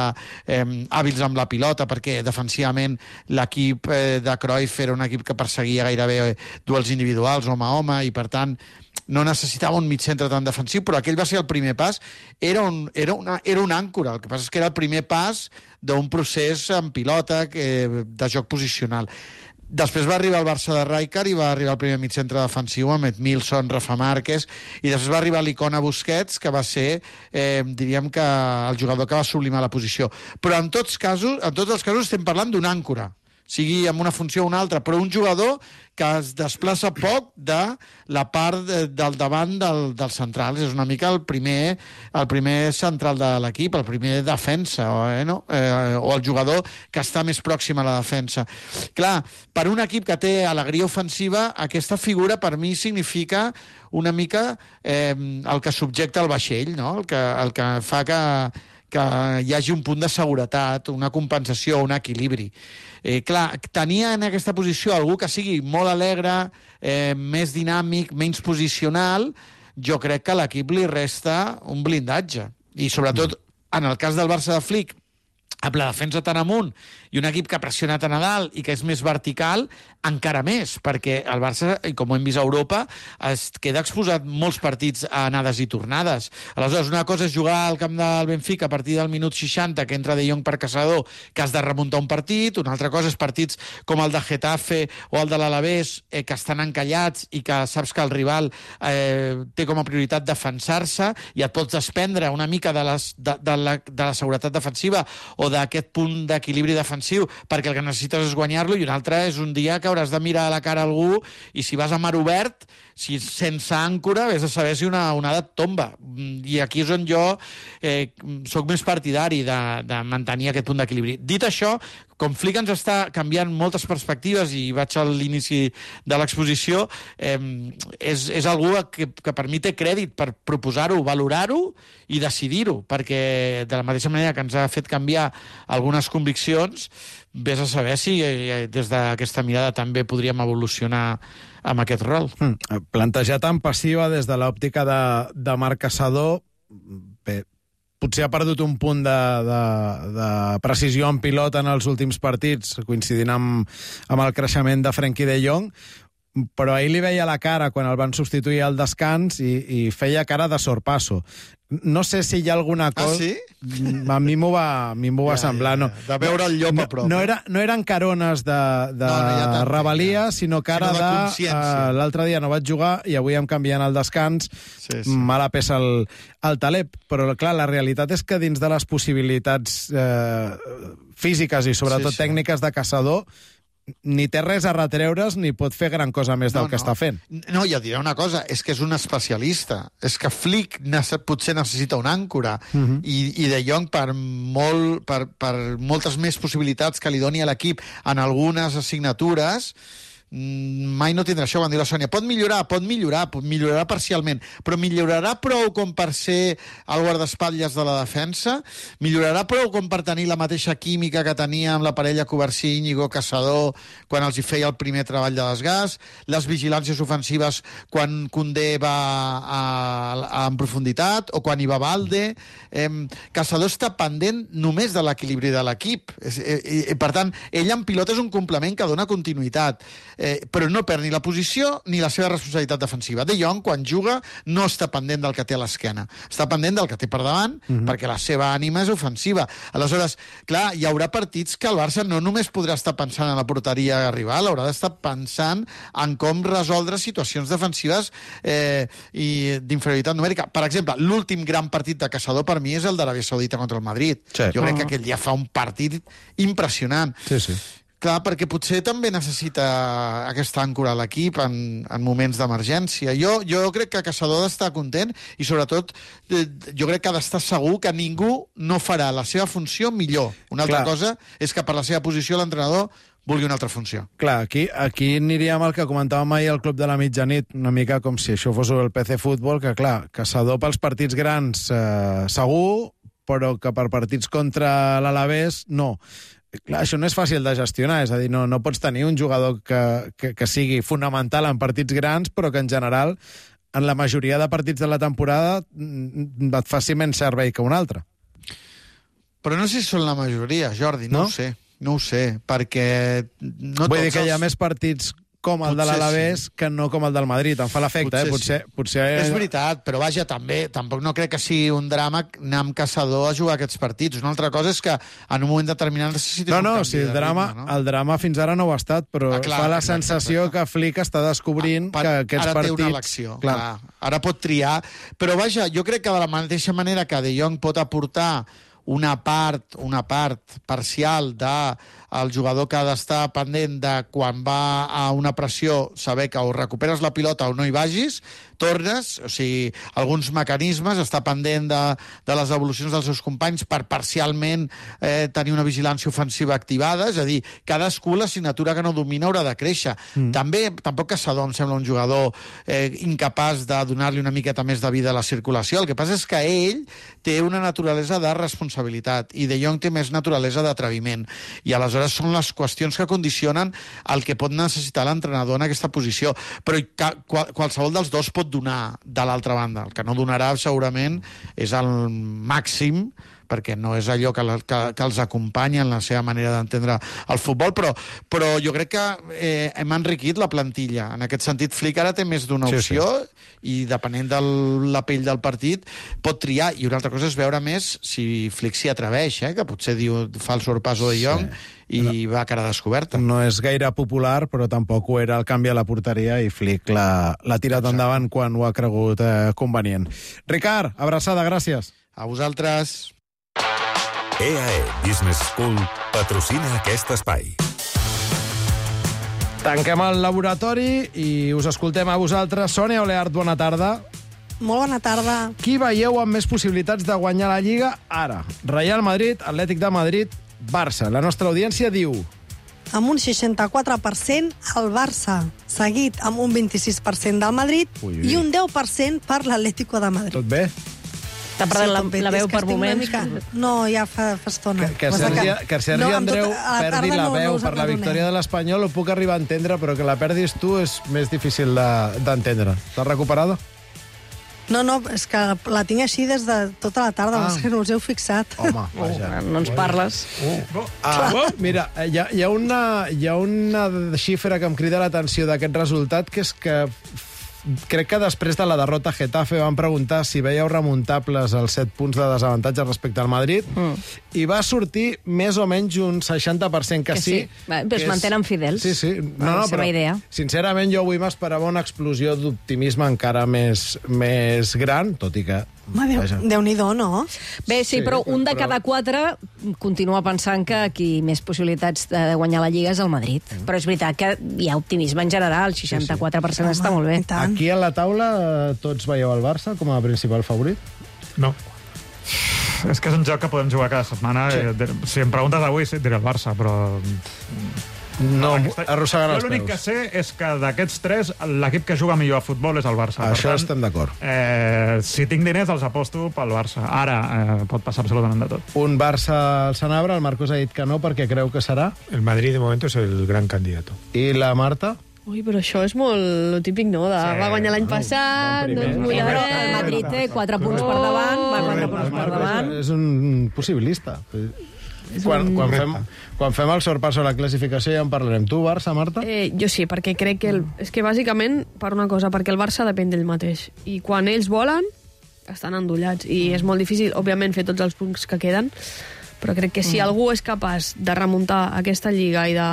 eh, hàbils amb la pilota, perquè defensivament l'equip eh, de Cruyff era un equip que perseguia gairebé duels individuals, home a home, i per tant no necessitava un mitcentre tan defensiu, però aquell va ser el primer pas. Era, un, era, una, era una àncora, el que passa és que era el primer pas d'un procés en pilota eh, de joc posicional. Després va arribar el Barça de Rijkaard i va arribar el primer mitcentre defensiu amb Edmilson, Rafa Márquez, i després va arribar l'icona Busquets, que va ser, eh, diríem que el jugador que va sublimar la posició. Però en tots, casos, en tots els casos estem parlant d'una àncora, sigui amb una funció o una altra, però un jugador que es desplaça poc de la part de, del davant del, dels centrals. És una mica el primer, el primer central de l'equip, el primer defensa, eh, no? eh, o el jugador que està més pròxim a la defensa. Clar, per un equip que té alegria ofensiva, aquesta figura per mi significa una mica eh, el que subjecta el vaixell, no? el, que, el que fa que que hi hagi un punt de seguretat, una compensació, un equilibri. Eh, clar, tenia en aquesta posició algú que sigui molt alegre, eh, més dinàmic, menys posicional, jo crec que a l'equip li resta un blindatge. I sobretot, en el cas del Barça de Flick, amb la defensa tan amunt i un equip que pressiona tan a dalt i que és més vertical, encara més, perquè el Barça, com ho hem vist a Europa, es queda exposat molts partits a anades i tornades. Aleshores, una cosa és jugar al camp del Benfica a partir del minut seixanta, que entra De Jong per Caçador, que has de remuntar un partit, una altra cosa és partits com el de Getafe o el de l'Alavés, eh, que estan encallats i que saps que el rival eh, té com a prioritat defensar-se i et pots desprendre una mica de, les, de, de, la, de la seguretat defensiva o d'aquest punt d'equilibri defensiu, perquè el que necessites és guanyar-lo, i un altre és un dia que hauràs de mirar a la cara a algú, i si vas a mar obert, si sense àncora, vés a saber si una onada et tomba. I aquí és on jo eh, soc més partidari de, de mantenir aquest punt d'equilibri. Dit això, com Flick ens està canviant moltes perspectives, i vaig a l'inici de l'exposició, eh, és, és algú que, que per mi té crèdit per proposar-ho, valorar-ho i decidir-ho, perquè de la mateixa manera que ens ha fet canviar algunes conviccions, vés a saber si eh, des d'aquesta mirada també podríem evolucionar amb aquest rol. Mm. Plantejar tan passiva des de l'òptica de, de Marc Caçador, bé, potser ha perdut un punt de, de, de precisió en pilota en els últims partits, coincidint amb, amb el creixement de Frenkie de Jong, però ahir li veia la cara quan el van substituir al descans i, i feia cara de sorpasso. No sé si hi ha alguna cosa... Ah, sí? A mi m'ho va, a mi m'ho va Ja, semblar. ja, No, ja. De veure el llop no, a prop, No, eh? era, no eren carones de, de No, no, ja t'entenc, rebel·lia, ja. sinó cara Sinó de de... consciència. Uh, L'altre dia no vaig jugar i avui em canvien al descans. Sí, sí. Mala peça el, el talep. Però, clar, la realitat és que dins de les possibilitats eh, físiques i sobretot Sí, sí. tècniques de caçador ni té res a retreure's ni pot fer gran cosa més del No, que no. està fent. No, ja et diré una cosa, és que és un especialista. És que Flick nece potser necessita una àncora Mhm. i, i De Jong per, molt, per, per moltes més possibilitats que li doni a l'equip en algunes assignatures mm, mai no tindrà això, van dir la Sònia. Pot millorar, pot millorar, pot millorar parcialment, però millorarà prou com per ser el guardaespatlles de la defensa? Millorarà prou com per tenir la mateixa química que tenia amb la parella Covarsí-Íñigo Caçador quan els hi feia el primer treball de desgast? Les vigilàncies ofensives quan Koundé va a, a, en profunditat o quan hi va Valde? Eh, Caçador està pendent només de l'equilibri de l'equip. És- eh, eh, Per tant, ell en pilota és un complement que dona continuïtat. Eh, però no perd ni la posició ni la seva responsabilitat defensiva. De Jong, quan juga, no està pendent del que té a l'esquena. Està pendent del que té per davant, mm-hmm. perquè la seva ànima és ofensiva. Aleshores, clar, hi haurà partits que el Barça no només podrà estar pensant en la porteria rival, haurà d'estar pensant en com resoldre situacions defensives eh, i d'inferioritat numèrica. Per exemple, l'últim gran partit de Caçador per mi és el d'Aràbia Saudita contra el Madrid. Sí. Jo crec Ah. que aquell dia fa un partit impressionant. Sí, sí. Clar, perquè potser també necessita aquesta àncora a l'equip en, en moments d'emergència. Jo, jo crec que Caçador ha d'estar content i, sobretot, eh, jo crec que ha d'estar segur que ningú no farà la seva funció millor. Una altra Clar. cosa és que per la seva posició l'entrenador vulgui una altra funció. Clar, aquí, aquí aniríem al que comentàvem ahir al Club de la Mitjanit, una mica com si això fos el P C Futbol, que clar, Caçador pels partits grans eh, segur, però que per partits contra l'Alavés no. Clar, això no és fàcil de gestionar, és a dir, no, no pots tenir un jugador que, que, que sigui fonamental en partits grans, però que en general, en la majoria de partits de la temporada, mm, et faci menys servei que un altre. Però no sé si són la majoria, Jordi, no, No? ho sé. No ho sé, perquè... No Vull tots dir que hi ha els- més partits com el de Potser l'Alavés sí. que no com el del Madrid. Em fa l'efecte, eh? Potser, sí. potser... És veritat, però vaja, també, tampoc no crec que sigui un drama anar amb Caçador a jugar aquests partits. Una altra cosa és que en un moment determinat necessitis No, un no, canvi si el de drama, ritme, no? el drama fins ara no ho ha estat, però Ah, clar, fa la exacte, sensació exacte. que Flick està descobrint Per- que aquests ara partits... té una elecció, Clar. clar. Ara pot triar, però vaja, jo crec que de la mateixa manera que De Jong pot aportar una part, una part parcial de el jugador que ha d'estar pendent de quan va a una pressió saber que o recuperes la pilota o no hi vagis, tornes, o sigui, alguns mecanismes, està pendent de, de les evolucions dels seus companys per parcialment eh, tenir una vigilància ofensiva activada, és a dir, cadascú l'assignatura que no domina haurà de créixer. Mm. També, tampoc Caçador em sembla un jugador eh, incapaç de donar-li una miqueta més de vida a la circulació. El que passa és que ell té una naturalesa de responsabilitat i De Jong té més naturalesa d'atreviment. I aleshores són les qüestions que condicionen el que pot necessitar l'entrenador en aquesta posició. Però ca, qual, qualsevol dels dos pot donar de l'altra banda. El que no donarà segurament és el màxim, perquè no és allò que, la, que, que els acompanya en la seva manera d'entendre el futbol, però, però jo crec que eh, hem enriquit la plantilla. En aquest sentit, Flick ara té més d'una Sí, opció i depenent de la pell del partit pot triar. I una altra cosa és veure més si Flick s'hi atreveix, eh? Que potser diu, fa el sorpasso de Jong i no. va a cara descoberta. No és gaire popular, però tampoc ho era el canvi a la porteria i Flick l'ha tirat Exacte. endavant quan ho ha cregut eh, convenient. Ricard, abraçada, gràcies. A vosaltres. E A E Business School patrocina aquest espai. Tanquem el laboratori i us escoltem a vosaltres. Sònia Oleart, bona tarda. Molt bona tarda. Qui veieu amb més possibilitats de guanyar la Lliga ara? Real Madrid, Atlètic de Madrid, Barça. La nostra audiència diu... Amb un seixanta-quatre per cent el Barça, seguit amb un vint-i-sis per cent del Madrid Ui, ui. i un deu per cent per l'Atlético de Madrid. Tot bé? T'ha perdut la, tot bé. la veu És que per estic una moments. Mica... No, ja fa, fa estona. Que, que Passa Sergi, que Sergi no, amb Andreu tot- a la perdi tarda la no- veu no us per la n'adonem. victòria de l'Espanyol ho puc arribar a entendre, però que la perdis tu és més difícil de- d'entendre. De, T'has recuperada? No, no, és que la tinc així des de tota la tarda, Ah. ah. que no us heu fixat. Home, vaja. No ens parles. Ah, mira, hi ha, hi, ha una, hi ha una xifra que em crida l'atenció d'aquest resultat, que és que crec que després de la derrota a Getafe van preguntar si veieu remuntables els set punts de desavantatge respecte al Madrid mm. i va sortir més o menys un seixanta per cent que, Que sí. sí. Va, però es que és- mantenen fidels Sí, sí. a la seva idea. Sincerament, jo avui m'esperava una explosió d'optimisme encara més, més gran, tot i que... Home, Déu, vaja. Déu-n'hi-do, no? Bé, sí, Sí, però un de però- cada quatre continua pensant que qui més possibilitats de guanyar la Lliga és el Madrid. Mm. Però és veritat que hi ha optimisme en general, el seixanta-quatre per cent està molt bé. i tant. Aquí a la taula eh, tots veieu el Barça com a principal favorit? No. És que és un joc que podem jugar cada setmana. Sí. Sí. Si em preguntes avui, sí, et diré el Barça, però... No, Aquesta- arrossegant Jo els l'únic que peus. sé és que d'aquests tres, l'equip que juga millor a futbol és el Barça. Això per tant, estem d'acord. Eh, si tinc diners, els aposto pel Barça. Ara eh, pot passar absolutament de tot. Un Barça al Sanabra, el Marcos ha dit que no perquè creu que serà. El Madrid de momento es el gran candidato. I la Marta? Ui, però això és molt lo típic, no? De, Sí, va guanyar l'any passat, bon no primer. ens Sí, mullarem... però el Madrid té quatre punts per davant, va quatre punts per Marcos davant. és un possibilista. Quan, quan, fem, quan fem el sorpasso a la classificació ja en parlarem. Tu, Barça, Marta? Eh, jo sí, perquè crec que... El, és que bàsicament, per una cosa, perquè el Barça depèn d'ell mateix. I quan ells volen, estan endollats. I és molt difícil, òbviament, fer tots els punts que queden, però crec que si Mm. algú és capaç de remuntar aquesta lliga i de,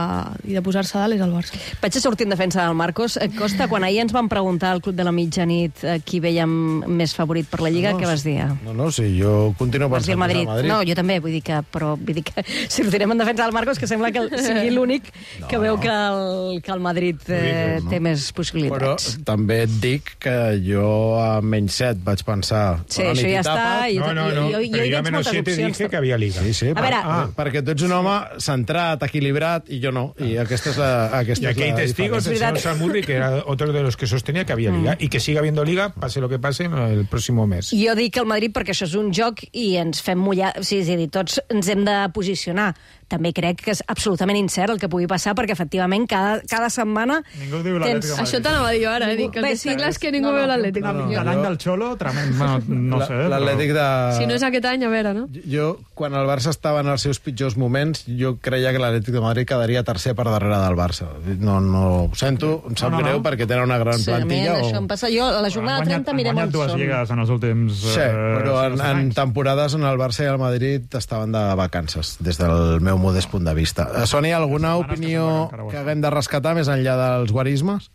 i de posar-se a dalt és el Barça. Vaig a sortir en defensa del Marcos. Eh, Costa, quan ahir ens van preguntar al Club de la Mitjanit eh, qui veiem més favorit per la Lliga, No, què vas dir? No, no, sí, jo continuo Vas dir pensant el Madrid. que és el Madrid. No, jo també, vull dir que, però vull dir que sortirem en defensa del Marcos, que sembla que sigui l'únic que No, veu no. que el, que el Madrid eh, no. té més Però possibilitats. també et dic que jo a menys set vaig pensar... Sí, bona això nit i ja tapa. està. I, No, no, no, jo, jo, pero hi yo a veig menos moltes siete opcions. dije que había liga. Sí, sí, A per, veure- ah, perquè tu ets un home centrat, equilibrat, i jo no. I aquesta és la, Y aquesta aquí és hay la testigos, el diferència. señor Samurri, que era otro de los que sostenía que había liga, y que siga habiendo liga, pase lo que pase, el próximo mes. Jo dic el Madrid perquè això és un joc i ens fem mullar... O sigui, és a dir, tots ens hem de posicionar. També crec que és absolutament incert el que pugui passar, perquè efectivament cada, cada setmana... Ningú diu l'Atlètic de Madrid. Això t'anava a dir jo ara, eh? Dic que el Bé, que sí. estic clar és que ningú No, no. veu l'Atlètic. No, no. De l'any del Xolo, tremend. Bueno, no sé. La- L'Atlètic de... Si no és aquest any, a veure, no? Jo, quan el Barça estava en els seus pitjors moments, jo creia que l'Atlètic de Madrid quedaria tercer per darrere del Barça. No, no, ho sento, em sap No, no, greu no. perquè tenen una gran Sí, a mi plantilla. això em passa... Jo, a la jornada Han guanyat- trenta mirem Han on guanyat dues són. lligues en els últims... Sí, eh, però en, sis en anys. temporades on el Barça i el Madrid estaven de vacances, des del meu modest punt de vista. Eh, Sònia, alguna Setmanes que opinió sembla que encara ho que estan. haguem de rescatar més enllà dels guarismes?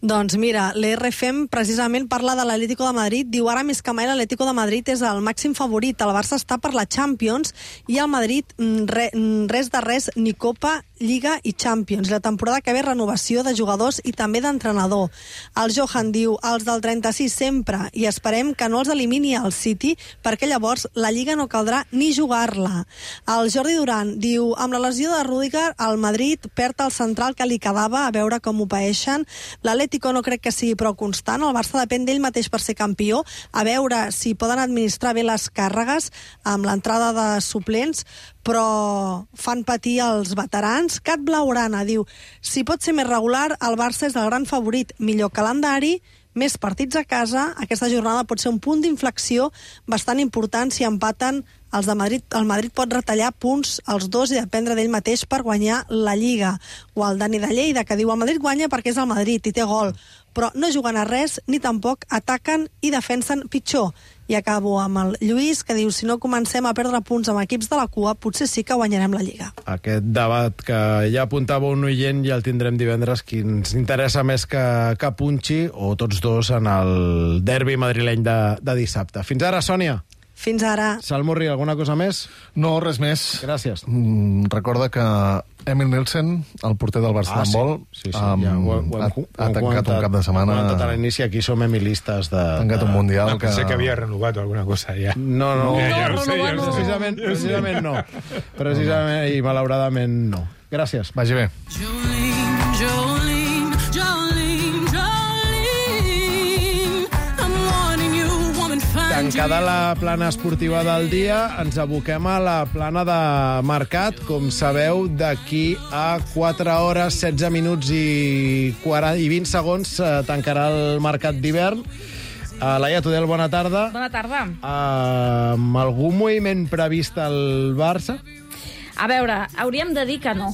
Doncs mira, l'E R F M precisament parla de l'Atlético de Madrid. Diu, ara més que mai l'Atlético de Madrid és el màxim favorit. El Barça està per la Champions i el Madrid mm, re, mm, res de res, ni Copa, Lliga i Champions. La temporada que ve renovació de jugadors i també d'entrenador. El Johan diu, els del trenta-sis sempre, i esperem que no els elimini el City, perquè llavors la Lliga no caldrà ni jugar-la. El Jordi Duran diu, amb la lesió de Rüdiger, el Madrid perd el central que li quedava, a veure com ho paeixen. L'Atlético no crec que sigui prou constant, el Barça depèn d'ell mateix per ser campió, a veure si poden administrar bé les càrregues amb l'entrada de suplents, però fan patir els veterans. Cat Blaurana diu, si pot ser més regular, el Barça és el gran favorit, millor calendari, més partits a casa, aquesta jornada pot ser un punt d'inflexió bastant important si empaten els de Madrid. El Madrid pot retallar punts als dos i dependre d'ell mateix per guanyar la Lliga. O el Dani de Lleida, que diu el Madrid guanya perquè és el Madrid i té gol, però no juguen a res ni tampoc ataquen i defensen pitjor. I acabo amb el Lluís, que diu, si no comencem a perdre punts amb equips de la cua, potser sí que guanyarem la Lliga. Aquest debat que ja apuntava un oient ja el tindrem divendres, qui ens interessa més que, que punxi, o tots dos, en el derbi madrileny de, de dissabte. Fins ara, Sònia. Fins ara. Salmurri, alguna cosa més? No, res més. Gràcies. Mm, recorda que Emil Nielsen, el porter del Barça Ah, sí. d'handbol, Sí, sí, um, ja, ho, ho, ha, ho, ha tancat un cap de Ho setmana... hem comentat a l'inici, aquí som emilistes de... Ha tancat un de... mundial No, que... pensé que había renovado alguna cosa ya. No, no, No, no, ja ho sé, ja ho sé. precisament, precisament no. Precisament i malauradament no. Gràcies. Vagi bé. Jolene, Jolene, Jolene, Jolene, I'm warning you, woman, find Tancada la plana esportiva del dia, ens aboquem a la plana de mercat. Com sabeu, d'aquí a quatre hores, setze minuts i, quaranta, i vint segons eh, tancarà el mercat d'hivern. Uh, Laia Tudel, bona tarda. Bona tarda. Uh, amb algun moviment previst al Barça? A veure, hauríem de dir que no.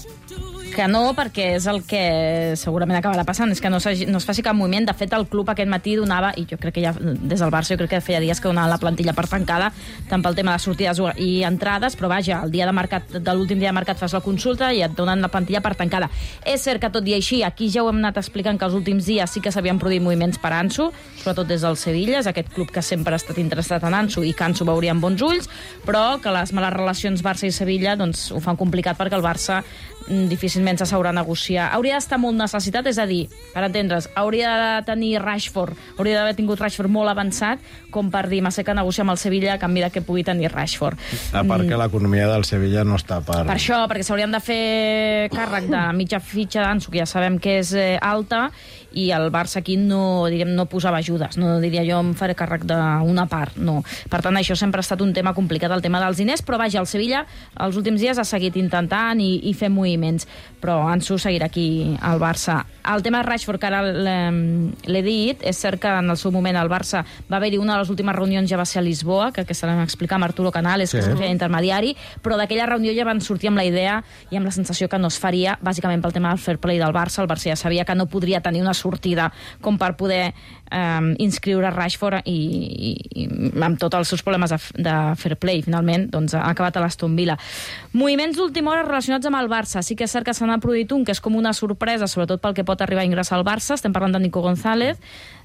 Que no, perquè és el que segurament acabarà passant, és que no, no es faci cap moviment. De fet, el club aquest matí donava, i jo crec que ja des del Barça, jo crec que feia dies que donava la plantilla per tancada, tant pel tema de sortides i entrades, però vaja, el dia de mercat, de l'últim dia de mercat fas la consulta i et donen la plantilla per tancada. És cert que tot i així, aquí ja ho hem anat explicant que els últims dies sí que s'havien produït moviments per Ansu, sobretot des del Sevilla, és aquest club que sempre ha estat interessat en Ansu i que Ansu veuria amb bons ulls, però que les males relacions Barça i Sevilla doncs, ho fan complicat perquè el Barça difícilment s'asseurà a negociar. Hauria d'estar molt necessitat, és a dir, per entendre's, hauria de tenir Rashford, hauria d'haver tingut Rashford molt avançat, com per dir, m'ha que negociar amb el Sevilla a canvi de que pugui tenir Rashford. A part que l'economia del Sevilla no està per... Per això, perquè s'haurien de fer càrrec de mitja fitxa d'Ansu, que ja sabem que és eh, alta, i el Barça aquí no, diríem, no posava ajudes, no diria jo em faré càrrec d'una part, no. Per tant, això sempre ha estat un tema complicat, el tema dels diners, però vaja, el Sevilla els últims dies ha seguit intentant i, i fent moviments, però Ansu seguirà aquí al Barça. El tema de Rashford, que ara l'he dit, és cert que en el seu moment al Barça va haver-hi una de les últimes reunions, ja va ser a Lisboa, que aquesta la vam explicar amb Arturo Canales, sí, que es feia intermediari, però d'aquella reunió ja van sortir amb la idea i amb la sensació que no es faria, bàsicament pel tema del fair play del Barça. El Barça ja sabia que no podria tenir una sortida com per poder eh, inscriure Rashford i, i, i amb tots els seus problemes de, de fair play, finalment doncs, ha acabat a l'Aston Villa. Moviments d'última hora relacionats amb el Barça. Sí que és cert que se n'ha produït un que és com una sorpresa, sobretot pel que pot arribar a ingressar al Barça. Estem parlant de Nico González.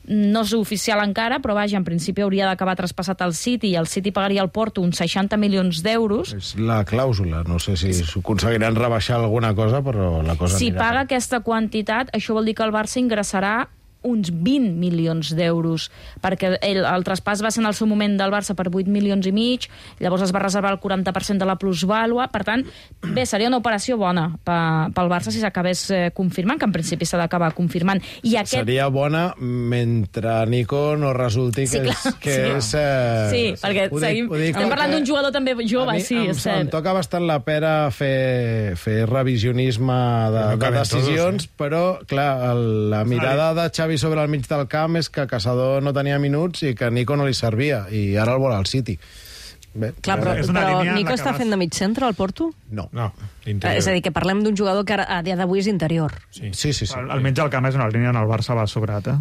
No és oficial encara, però vaja, en principi hauria d'acabar traspassat al City i el City pagaria al Porto uns seixanta milions d'euros. És la clàusula, no sé si aconseguiran rebaixar alguna cosa, però la cosa si anirà. Paga aquesta quantitat, això vol dir que el Barça ingressarà uns vint milions d'euros, perquè el, el traspàs va ser en el seu moment del Barça per vuit milions i mig, llavors es va reservar el quaranta per cent de la plusvàlua, per tant, bé, seria una operació bona pel Barça si s'acabés eh, confirmant, que en principi s'ha d'acabar confirmant. I aquest... Seria bona mentre Nico no resulti que sí, clar, és... Que sí. és eh... sí, perquè ho dic, seguim... ho dic estem parlant d'un jugador també jove, mi, sí, em, és cert. Em toca bastant la pera fer, fer revisionisme de, no de decisions, todos, eh? però, clar, el, la mirada de Xavi sobre el mig del camp és que Caçador no tenia minuts i que Nico no li servia, i ara el vol al City. Bé, Clar, però, però Nico està fent de mig centre al Porto? No. No, eh, és a dir, que parlem d'un jugador que a dia d'avui és interior. Sí, sí, sí. sí. El, el mig del camp és una línia on el Barça va sobrat, eh?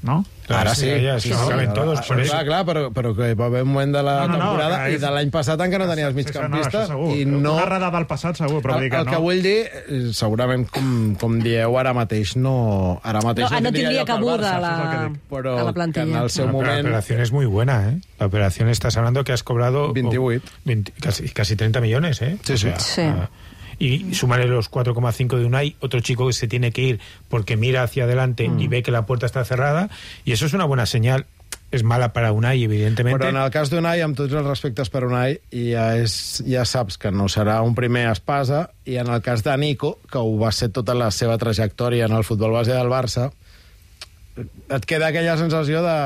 No? Ara sí. Ja, sí, sí, sí, sí. Todos, ah, clar, clar, però, però que va haver un moment de la no, no, temporada no, i de l'any passat encara no tenia els migcampistes. Sí, sí, i no... Una errada del passat, segur, però el, dir que el no. que vull dir, segurament, com, com dieu, ara mateix no... Ara mateix no, no tindria cabuda a la, però a la plantilla. en el seu no, moment... La operación es muy buena, ¿eh? La operación estás hablando que has cobrado... veintiocho. veinte, casi, casi treinta millones, ¿eh? Sí, o sea, sí. sí. Uh, y sumarle los cuatro coma cinco de Unai, otro chico que se tiene que ir porque mira hacia adelante mm. y ve que la puerta está cerrada, y eso es una buena señal. És mala per a Unai, evidentment. Però en el cas d'Unai, amb tots els respectes per Unai, ja, és, ja saps que no serà un primer espasa, i en el cas de Nico, que ho va ser tota la seva trajectòria en el futbol base del Barça, et queda aquella sensació de...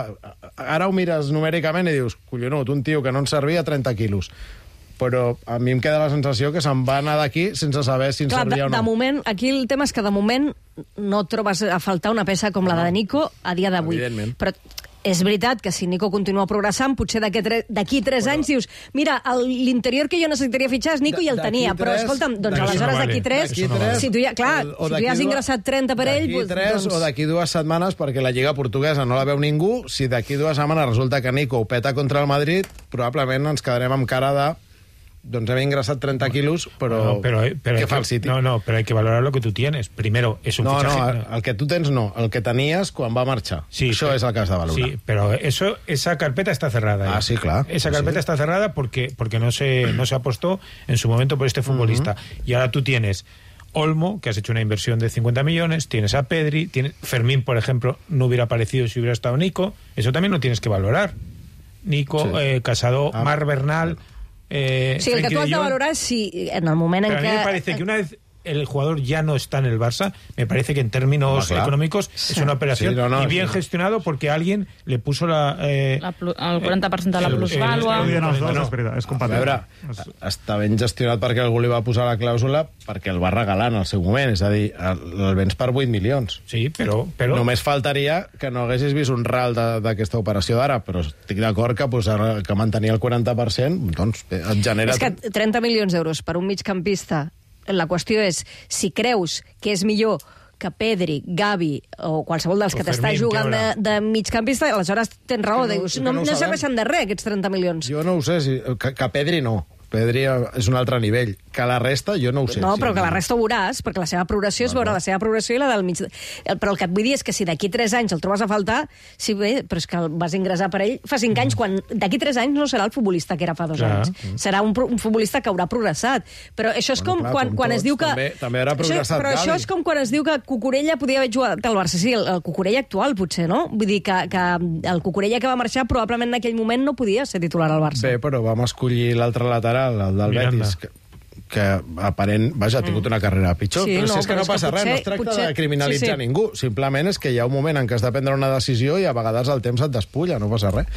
Ara ho mires numèricament i dius, collonut, un tio que no en servia trenta quilos. Però a mi em queda la sensació que se'n va anar d'aquí sense saber si en Clar, servia de, o no. De moment, aquí el tema és que de moment no trobes a faltar una peça com la de Nico a dia d'avui. Evidentment. Però és veritat que si Nico continua progressant, potser d'aquí tres però... anys dius, mira, l'interior que jo necessitaria fitxar és Nico i el tenia, però escolta'm, doncs aleshores d'aquí tres, si tu ja, clar, si tu ja has ingressat trenta per ell... D'aquí tres o d'aquí dues setmanes, perquè la Lliga Portuguesa no la veu ningú, si d'aquí dues setmanes resulta que Nico ho peta contra el Madrid, probablement ens quedarem amb cara de... Doncs hem ingressat treinta quilos, però, no, pero, pero ¿qué fa el City? No, no, pero hay que valorar lo que tú tienes. Primero, es un no, fichaje... No, el que tu tens no, el que tenies quan va marxar. Sí, Això pero, és el que has de valorar. Sí, pero eso, esa carpeta está cerrada. Ah, sí, claro. Esa carpeta sí. está cerrada porque, porque no, se, no se apostó en su momento por este futbolista. Uh-huh. Y ahora tú tienes Olmo, que has hecho una inversión de cincuenta millones, tienes a Pedri, tienes, Fermín, por ejemplo, no hubiera aparecido si hubiera estado Nico. Eso también lo tienes que valorar. Nico, sí. eh, Casado, ah, Mar Bernal... Eh, sí, el que tu has de valorar és si en el moment en Pero què... a mí me parece que una vez el jugador ya no está en el Barça, me parece que en términos Home, económicos sí. es una operación Sí, no, no, y bien sí. gestionado porque alguien le puso la... Eh, La plu- el quaranta per cent de la el- plusvàlua. el- el- els dos, no. és veritat, és A compatible. veure, està ben gestionat perquè algú li va posar la clàusula perquè el va regalar en el seu moment, és a dir, el, el vens per vuit milions. Sí, però... però... Només faltaria que no haguessis vist un ral de- d'aquesta operació d'ara, però estic d'acord que, posar, que mantenir el quaranta per cent doncs, bé, et genera... És que trenta milions d'euros per un migcampista, la qüestió és, si creus que és millor que Pedri, Gavi o qualsevol dels O que t'està Fermín, jugant que de, ara- de migcampista, aleshores tens raó, Que no- dius, que no, no ho no sabem. serveixen de res aquests trenta milions. Jo no ho sé, si, que, que Pedri no. Pedri és un altre nivell. Que la resta, jo no ho sé. No, sí, però que la resta ho veuràs, perquè la seva progressió és veure la seva progressió i la del mig... Però el que et vull dir és que si d'aquí tres anys el trobes a faltar, sí, bé, però és que el vas ingressar per ell fa cinc anys, quan d'aquí tres anys no serà el futbolista que era fa dos Clar. anys. Serà un, pro- un futbolista que haurà progressat. Però això és Bueno, com clar, quan, com quan es tots, diu que... també- també haurà Això- progressat Però això Gavi. és com quan es diu que Cucurella podia haver jugat al Barça. Sí, el, el Cucurella actual, potser, no? Vull dir que, que el Cucurella que va marxar probablement en aquell moment no podia ser titular al Barça. Bé, però vam escollir l'altre lateral, el del Miranda. Betis, que, que aparent, vaja, ha tingut una carrera pitjor, Sí, però no, si és que però no és que passa res, potser- no es tracta potser- de criminalitzar sí, sí. ningú, simplement és que hi ha un moment en què has de prendre una decisió i a vegades el temps et despulla, no passa res.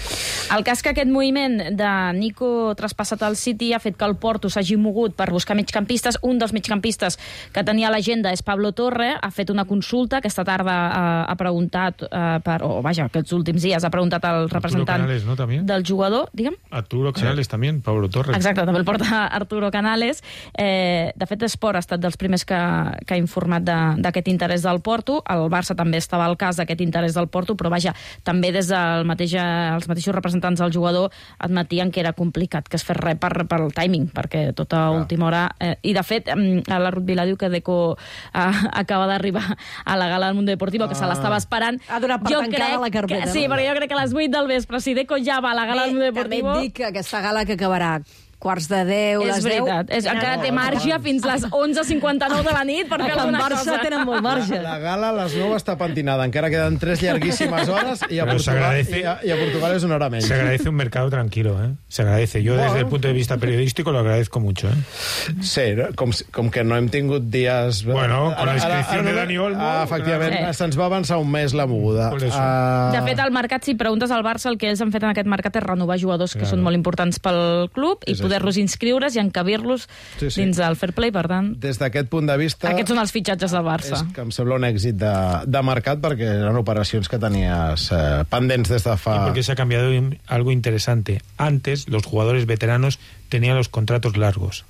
El cas que aquest moviment de Nico traspassat al City ha fet que el Porto s'hagi mogut per buscar migcampistes. Un dels migcampistes que tenia a l'agenda és Pablo Torre, ha fet una consulta, aquesta tarda ha, ha preguntat, eh, per, o vaja, aquests últims dies ha preguntat al representant Canales, ¿no? También. del jugador, digue'm. Arturo Canales también, Pablo Torres. Exacte, també el porta Arturo Canales. Eh, de fet, Esport ha estat dels primers que, que ha informat de- d'aquest interès del Porto. El Barça també estava al cas d'aquest interès del Porto, però vaja, també des dels mateix, els mateixos representants del jugador admetien que era complicat que es fes res per, per el timing, perquè tota ah. última hora... Eh, I, de fet, eh, la Ruth Vila diu que Deco eh, acaba d'arribar a la gala del Mundo Deportivo, que ah. se l'estava esperant. Ha donat per tancada la carpeta, Que, sí, no? perquè jo crec que a les vuit del vespre, si Deco ja va a la gala del Mundo Bé, també Deportivo... et dic que aquesta gala que acabarà quarts de deu, És les deu... veritat, és, encara té marge fins les onze cinquanta-nou de la nit per fer En alguna Barça cosa. tenen molt marge. La gala a les nou està pentinada, encara queden tres llarguíssimes hores i a, Pero se Portugal, agradece- i, a, i a Portugal és una hora menys. Se agradece un mercado tranquilo, ¿eh? Se agradece. Yo desde el punto de vista periodístico lo agradezco mucho, ¿eh? Sí, no? com, si- com que no hem tingut dies... Bueno, con la inscripción de no- Dani Olmo, Ah, efectivament, claro. se'ns va avançar un mes la moguda. Por eso. Ah, De fet, al mercat, si preguntes al Barça, el que ells han fet en aquest mercat és renovar jugadors que Claro. són molt importants pel club i És poder-los inscriure's i encabir-los Sí, sí. dins del fair play, per tant... des d'aquest punt de vista... Aquests són els fitxatges del Barça. És que em sembla un èxit de, de mercat perquè eren operacions que tenies eh, pendents des de fa... Y porque se ha cambiado in- algo interesante. Antes, los jugadores veteranos tenían los contratos largos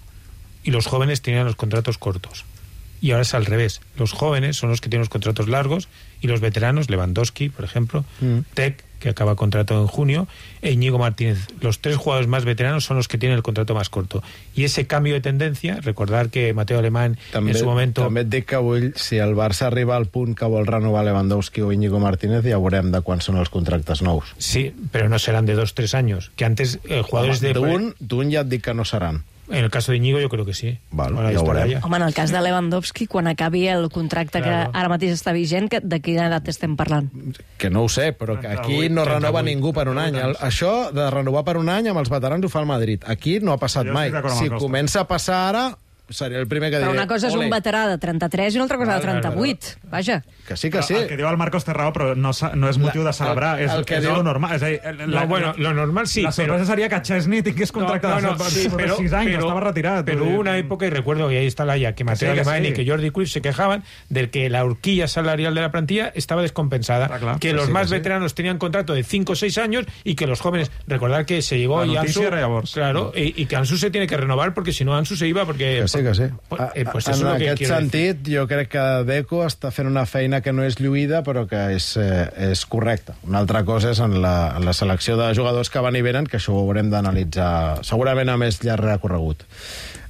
y los jóvenes tenían los contratos cortos. Y ahora es al revés. Los jóvenes son los que tienen los contratos largos y los veteranos, Lewandowski, por ejemplo, Mm. Tec, que acaba contrato en junio, e Íñigo Martínez. Los tres jugadores más veteranos son los que tienen el contrato más corto. Y ese cambio de tendencia, recordar que Mateo Alemán També, en su momento... també et dic que vull, si el Barça arriba al punt que vol renovar Lewandowski o Íñigo Martínez, ja veurem de quan són els contractes nous. Sí, pero no serán de dos, tres años. Que antes eh, jugadores de... D'un d'un ja et dic que no seran. En el caso de Íñigo yo creo que sí. Val, Ahora ja ho estará veurem. ya. Home, en el cas de Lewandowski, quan acabi el contracte Claro. que ara mateix està vigent, que, de quina edat estem parlant? Que no ho sé, però que aquí no renova ningú per un any. El, això de renovar per un any amb els veterans ho fa el Madrid. Aquí no ha passat Jo mai. estic d'acord amb Si el Costa. comença a passar ara, seré el primer que diré... Però una cosa és un "Ole". veterà de trenta-tres i una altra cosa de Vale, vale, trenta-vuit. Vaja. Que sí, que sí. El que diu el Marcos té raó, però no, sa- no és motiu de celebrar, el- és, el que és diu- lo normal. És a dir, la, No, bueno, lo normal sí, La sorpresa pero... seria que Chesney tingués contracte No, de no, no, sí, sobre pero, sis anys, pero- estava retirat. pero vull dir, hubo una época, y recuerdo, y ahí está la ya, que Mateo sí, que Alemán sí. y que Jordi Cruyff se quejaban de que la horquilla salarial de la plantilla estaba descompensada, Ah, claro. que Que los sí, más que sí. veteranos tenían contrato de cinco o seis años y que los jóvenes, recordar que se llegó La y noticia Ansu, era llavors. claro, y, y que Ansu se tiene que renovar porque si no Ansu se iba porque... Que sí, que sí. Pues, A- eh, pues a- eso es en lo que aquest quiero decir. sentit, jo crec que Deco està fent una feina que no és lluïda, però que és, eh, és correcta. Una altra cosa és en la, en la selecció de jugadors que van i venen, que això ho haurem d'analitzar segurament a més llarg recorregut.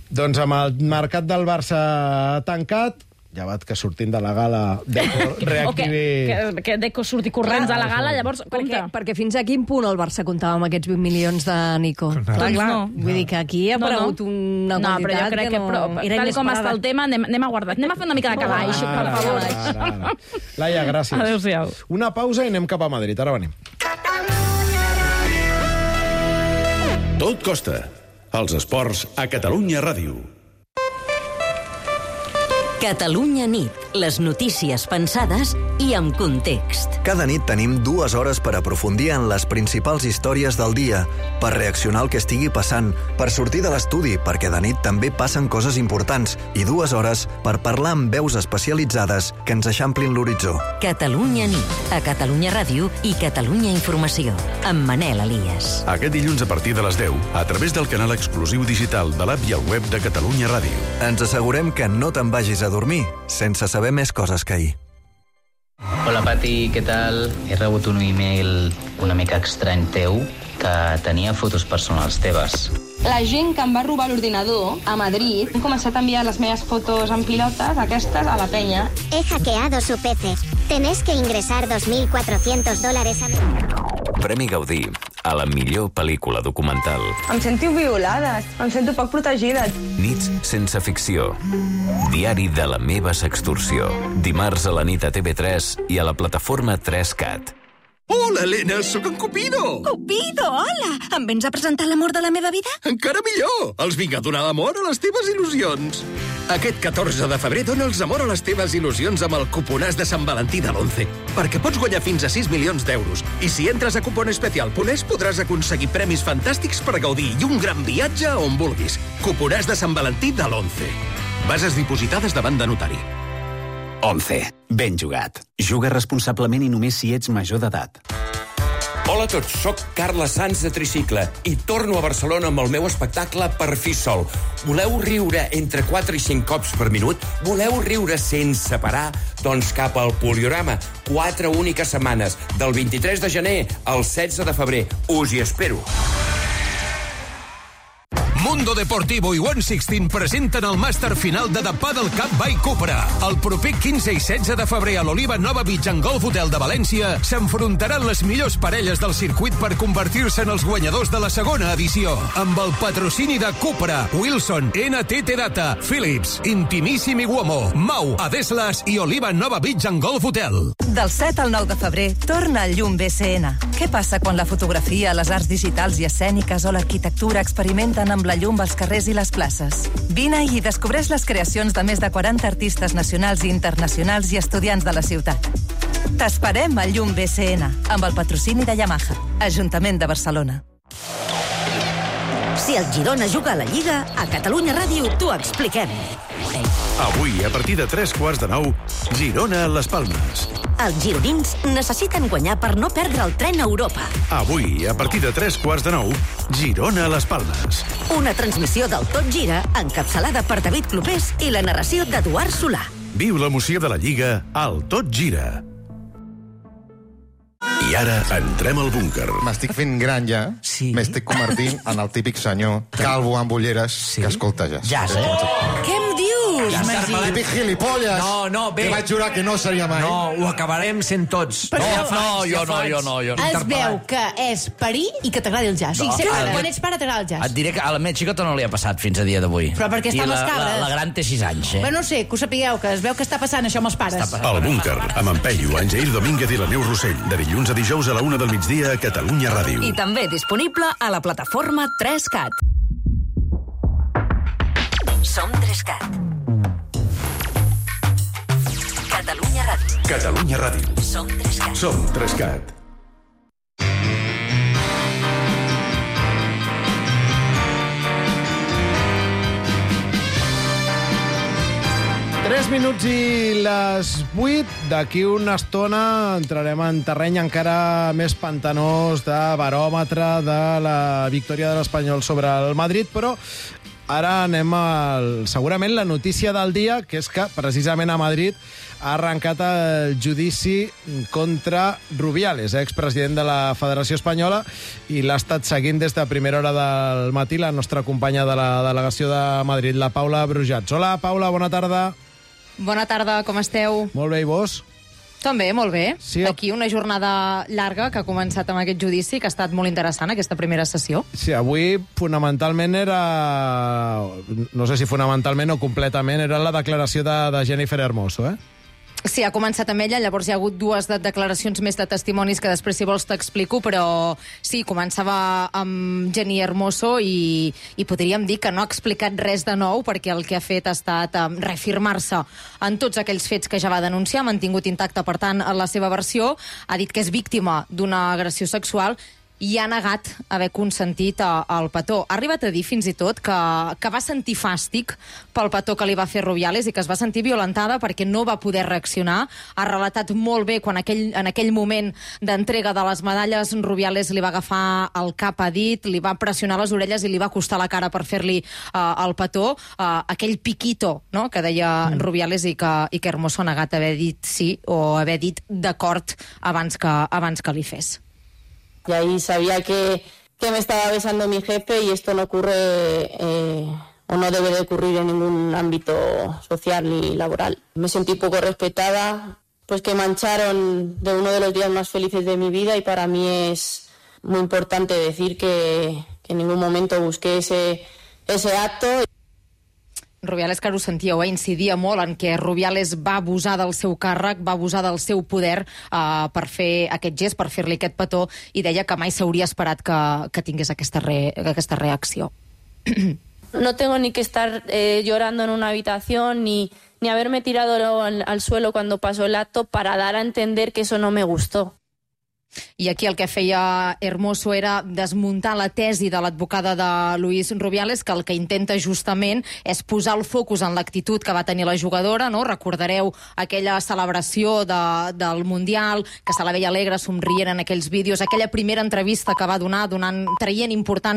Doncs amb el mercat del Barça tancat, llevat que sortint de la gala Deco O que, reactivi... que, que Deco surti corrents a la gala, llavors, Perquè, compte. perquè fins a quin punt el Barça comptava amb aquests vint milions de Nico? Clar, Doncs clar. no. Vull dir que aquí ha No, no. aparegut una No, però quantitat jo crec que, no... però, era tal com inesperada. està el tema, anem, anem a guardar. Anem a fer una mica de calaix, per Ara, favor. ara, ara. Laia, gràcies. Adéu-siau. Una pausa i anem cap a Madrid. Ara venim. Tot costa. Els esports a Catalunya Ràdio. Catalunya nit, les notícies pensades i amb context. Cada nit tenim dues hores per aprofundir en les principals històries del dia, per reaccionar al que estigui passant, per sortir de l'estudi, perquè de nit també passen coses importants, i dues hores per parlar amb veus especialitzades que ens eixamplin l'horitzó. Catalunya nit, a Catalunya Ràdio i Catalunya Informació, amb Manel Elias. Aquest dilluns a partir de les deu, a través del canal exclusiu digital de l'app i el web de Catalunya Ràdio. Ens assegurem que no te'n vagis a dormir sense saber més coses que ahir. Hola, Pati, què tal? He rebut un e-mail una mica estrany teu que tenia fotos personals teves. La gent que em va robar l'ordinador a Madrid han començat a enviar les meves fotos en pilotes, aquestes, a la penya. He hackeado su P C. Tenés que ingresar dos mil cuatrocientos dólares a... Premi Gaudí a la millor pel·lícula documental. Em sento violada, em sento poc protegida. Nits sense ficció. Diari de la meva sextorsió. Dimarts a la nit a T V tres i a la plataforma tres cat. Hola, Helena, sóc en Cupido. Cupido, hola! Em vens a presentar l'amor de la meva vida? Encara millor! Els vinc a donar l'amor a les teves il·lusions. Aquest catorze de febrer dona'ls amor a les teves il·lusions amb el cuponàs de Sant Valentí de l'Once, perquè pots guanyar fins a sis milions d'euros. I si entres a cuponespecial punt es podràs aconseguir premis fantàstics per gaudir i un gran viatge on vulguis. Cuponàs de Sant Valentí de l'Once. Bases dipositades davant de notari. Once. Ben jugat. Juga responsablement i només si ets major d'edat. Hola a tots, sóc Carles Sanz de Tricicle i torno a Barcelona amb el meu espectacle Per fi sol. Voleu riure entre quatre i cinc cops per minut? Voleu riure sense parar? Doncs cap al Poliorama. Quatre úniques setmanes, del vint-i-tres de gener al setze de febrer. Us hi espero. Mundo Deportivo i one sixteen presenten el màster final de The Paddle Cup by Cupra. El proper quinze i setze de febrer a l'Oliva Nova Beach and Golf Hotel de València s'enfrontaran les millors parelles del circuit per convertir-se en els guanyadors de la segona edició. Amb el patrocini de Cupra, Wilson, N T T Data, Philips, Intimissimi Uomo, Mau, Adeslas i Oliva Nova Beach and Golf Hotel. Del set al nou de febrer torna el Llum B C N. Què passa quan la fotografia, les arts digitals i escèniques o l'arquitectura experimenten amb la llum als carrers i les places? Vine i descobreix les creacions de més de quaranta artistes nacionals i internacionals i estudiants de la ciutat. T'esperem al Llum B C N, amb el patrocini de Yamaha, Ajuntament de Barcelona. Si el Girona juga a la Lliga, a Catalunya Ràdio t'ho expliquem. Avui, a partir de tres quarts de nou, Girona a les Palmes. Els gironins necessiten guanyar per no perdre el tren a Europa. Avui, a partir de tres quarts de nou, Girona a les Palmes. Una transmissió del Tot Gira, encapçalada per David Clopés i la narració d'Eduard Solà. Viu l'emoció de la Lliga al Tot Gira. I ara entrem al búnquer. M'estic fent gran ja. Sí. M'estic convertint en el típic senyor calvo amb ulleres sí. que escolta jazz. Jazz, eh? Què em dius, ja Magí? Típic gilipolles. No, no, bé. Que vaig jurar que no seria mai. No, ho acabarem sent tots. Però no, ja faig, no, jo ja no, faig. jo no, jo no. Es veu que és parir i que t'agrada el jazz. No. O sigui, sempre, El- quan ets pare t'agrada el jazz. Et diré que a la meva xicota no li ha passat fins a dia d'avui. Però perquè està I amb les la, cabres. La, la gran té sis anys, eh? Però no sé, que ho sapigueu, que es veu que està passant això amb els pares. El búnquer, amb en Peyu, en Jair Domínguez i la Neus Rossell. De dilluns a dijous a la una del migdia a Catalunya Ràdio. I també disponible a la plataforma tres cat. Som tres cat. Catalunya Ràdio. Catalunya Ràdio. Som tres cat. Som tres cat. tres minuts i les vuit. D'aquí una estona entrarem en terreny encara més pantanós de baròmetre de la victòria de l'Espanyol sobre el Madrid, però ara anem al, segurament, la notícia del dia, que és que precisament a Madrid ha arrencat el judici contra Rubiales, expresident de la Federació Espanyola, i l'ha estat seguint des de primera hora del matí la nostra companya de la delegació de Madrid, la Paula Brujats. Hola, Paula, bona tarda. Bona tarda, com esteu? Molt bé, i vos? També, molt bé. Sí, Aquí una jornada llarga que ha començat amb aquest judici, que ha estat molt interessant, aquesta primera sessió. Sí, avui fonamentalment era... No sé si fonamentalment o completament era la declaració de, de Jennifer Hermoso, eh? Sí, ha començat amb ella, llavors hi ha hagut dues de declaracions més de testimonis que després, si vols, t'explico, però sí, començava amb Jenny Hermoso i, i podríem dir que no ha explicat res de nou, perquè el que ha fet ha estat um, reafirmar-se en tots aquells fets que ja va denunciar, ha mantingut intacta, per tant, la seva versió, ha dit que és víctima d'una agressió sexual i ha negat haver consentit el petó. Ha arribat a dir, fins i tot, que, que va sentir fàstic pel petó que li va fer Rubiales i que es va sentir violentada perquè no va poder reaccionar. Ha relatat molt bé quan aquell, en aquell moment d'entrega de les medalles Rubiales li va agafar el cap a dit, li va pressionar les orelles i li va acostar la cara per fer-li uh, el petó. Uh, aquell piquito, no?, que deia mm. Rubiales i que, i que Hermoso ha negat haver dit sí o haver dit d'acord abans que, abans que li fes. Y ahí sabía que, que me estaba besando mi jefe y esto no ocurre eh, o no debe de ocurrir en ningún ámbito social ni laboral. Me sentí poco respetada, pues que mancharon de uno de los días más felices de mi vida y para mí es muy importante decir que, que en ningún momento busqué ese, ese acto. Rubiales, que ho sentíeu, eh, incidia molt en que Rubiales va abusar del seu càrrec, va abusar del seu poder eh, per fer aquest gest, per fer-li aquest petó, i deia que mai s'hauria esperat que, que tingués aquesta, re, aquesta reacció. No tengo ni que estar eh, llorando en una habitación ni, ni haberme tirado al, al suelo cuando pasó el acto para dar a entender que eso no me gustó. I aquí el que feia Hermoso era desmuntar la tesi de l'advocada de Luis Rubiales, que el que intenta justament és posar el focus en l'actitud que va tenir la jugadora, no? Recordareu aquella celebració de, del Mundial, que se la veia alegre, somrient en aquells vídeos, aquella primera entrevista que va donar, donant, traient importància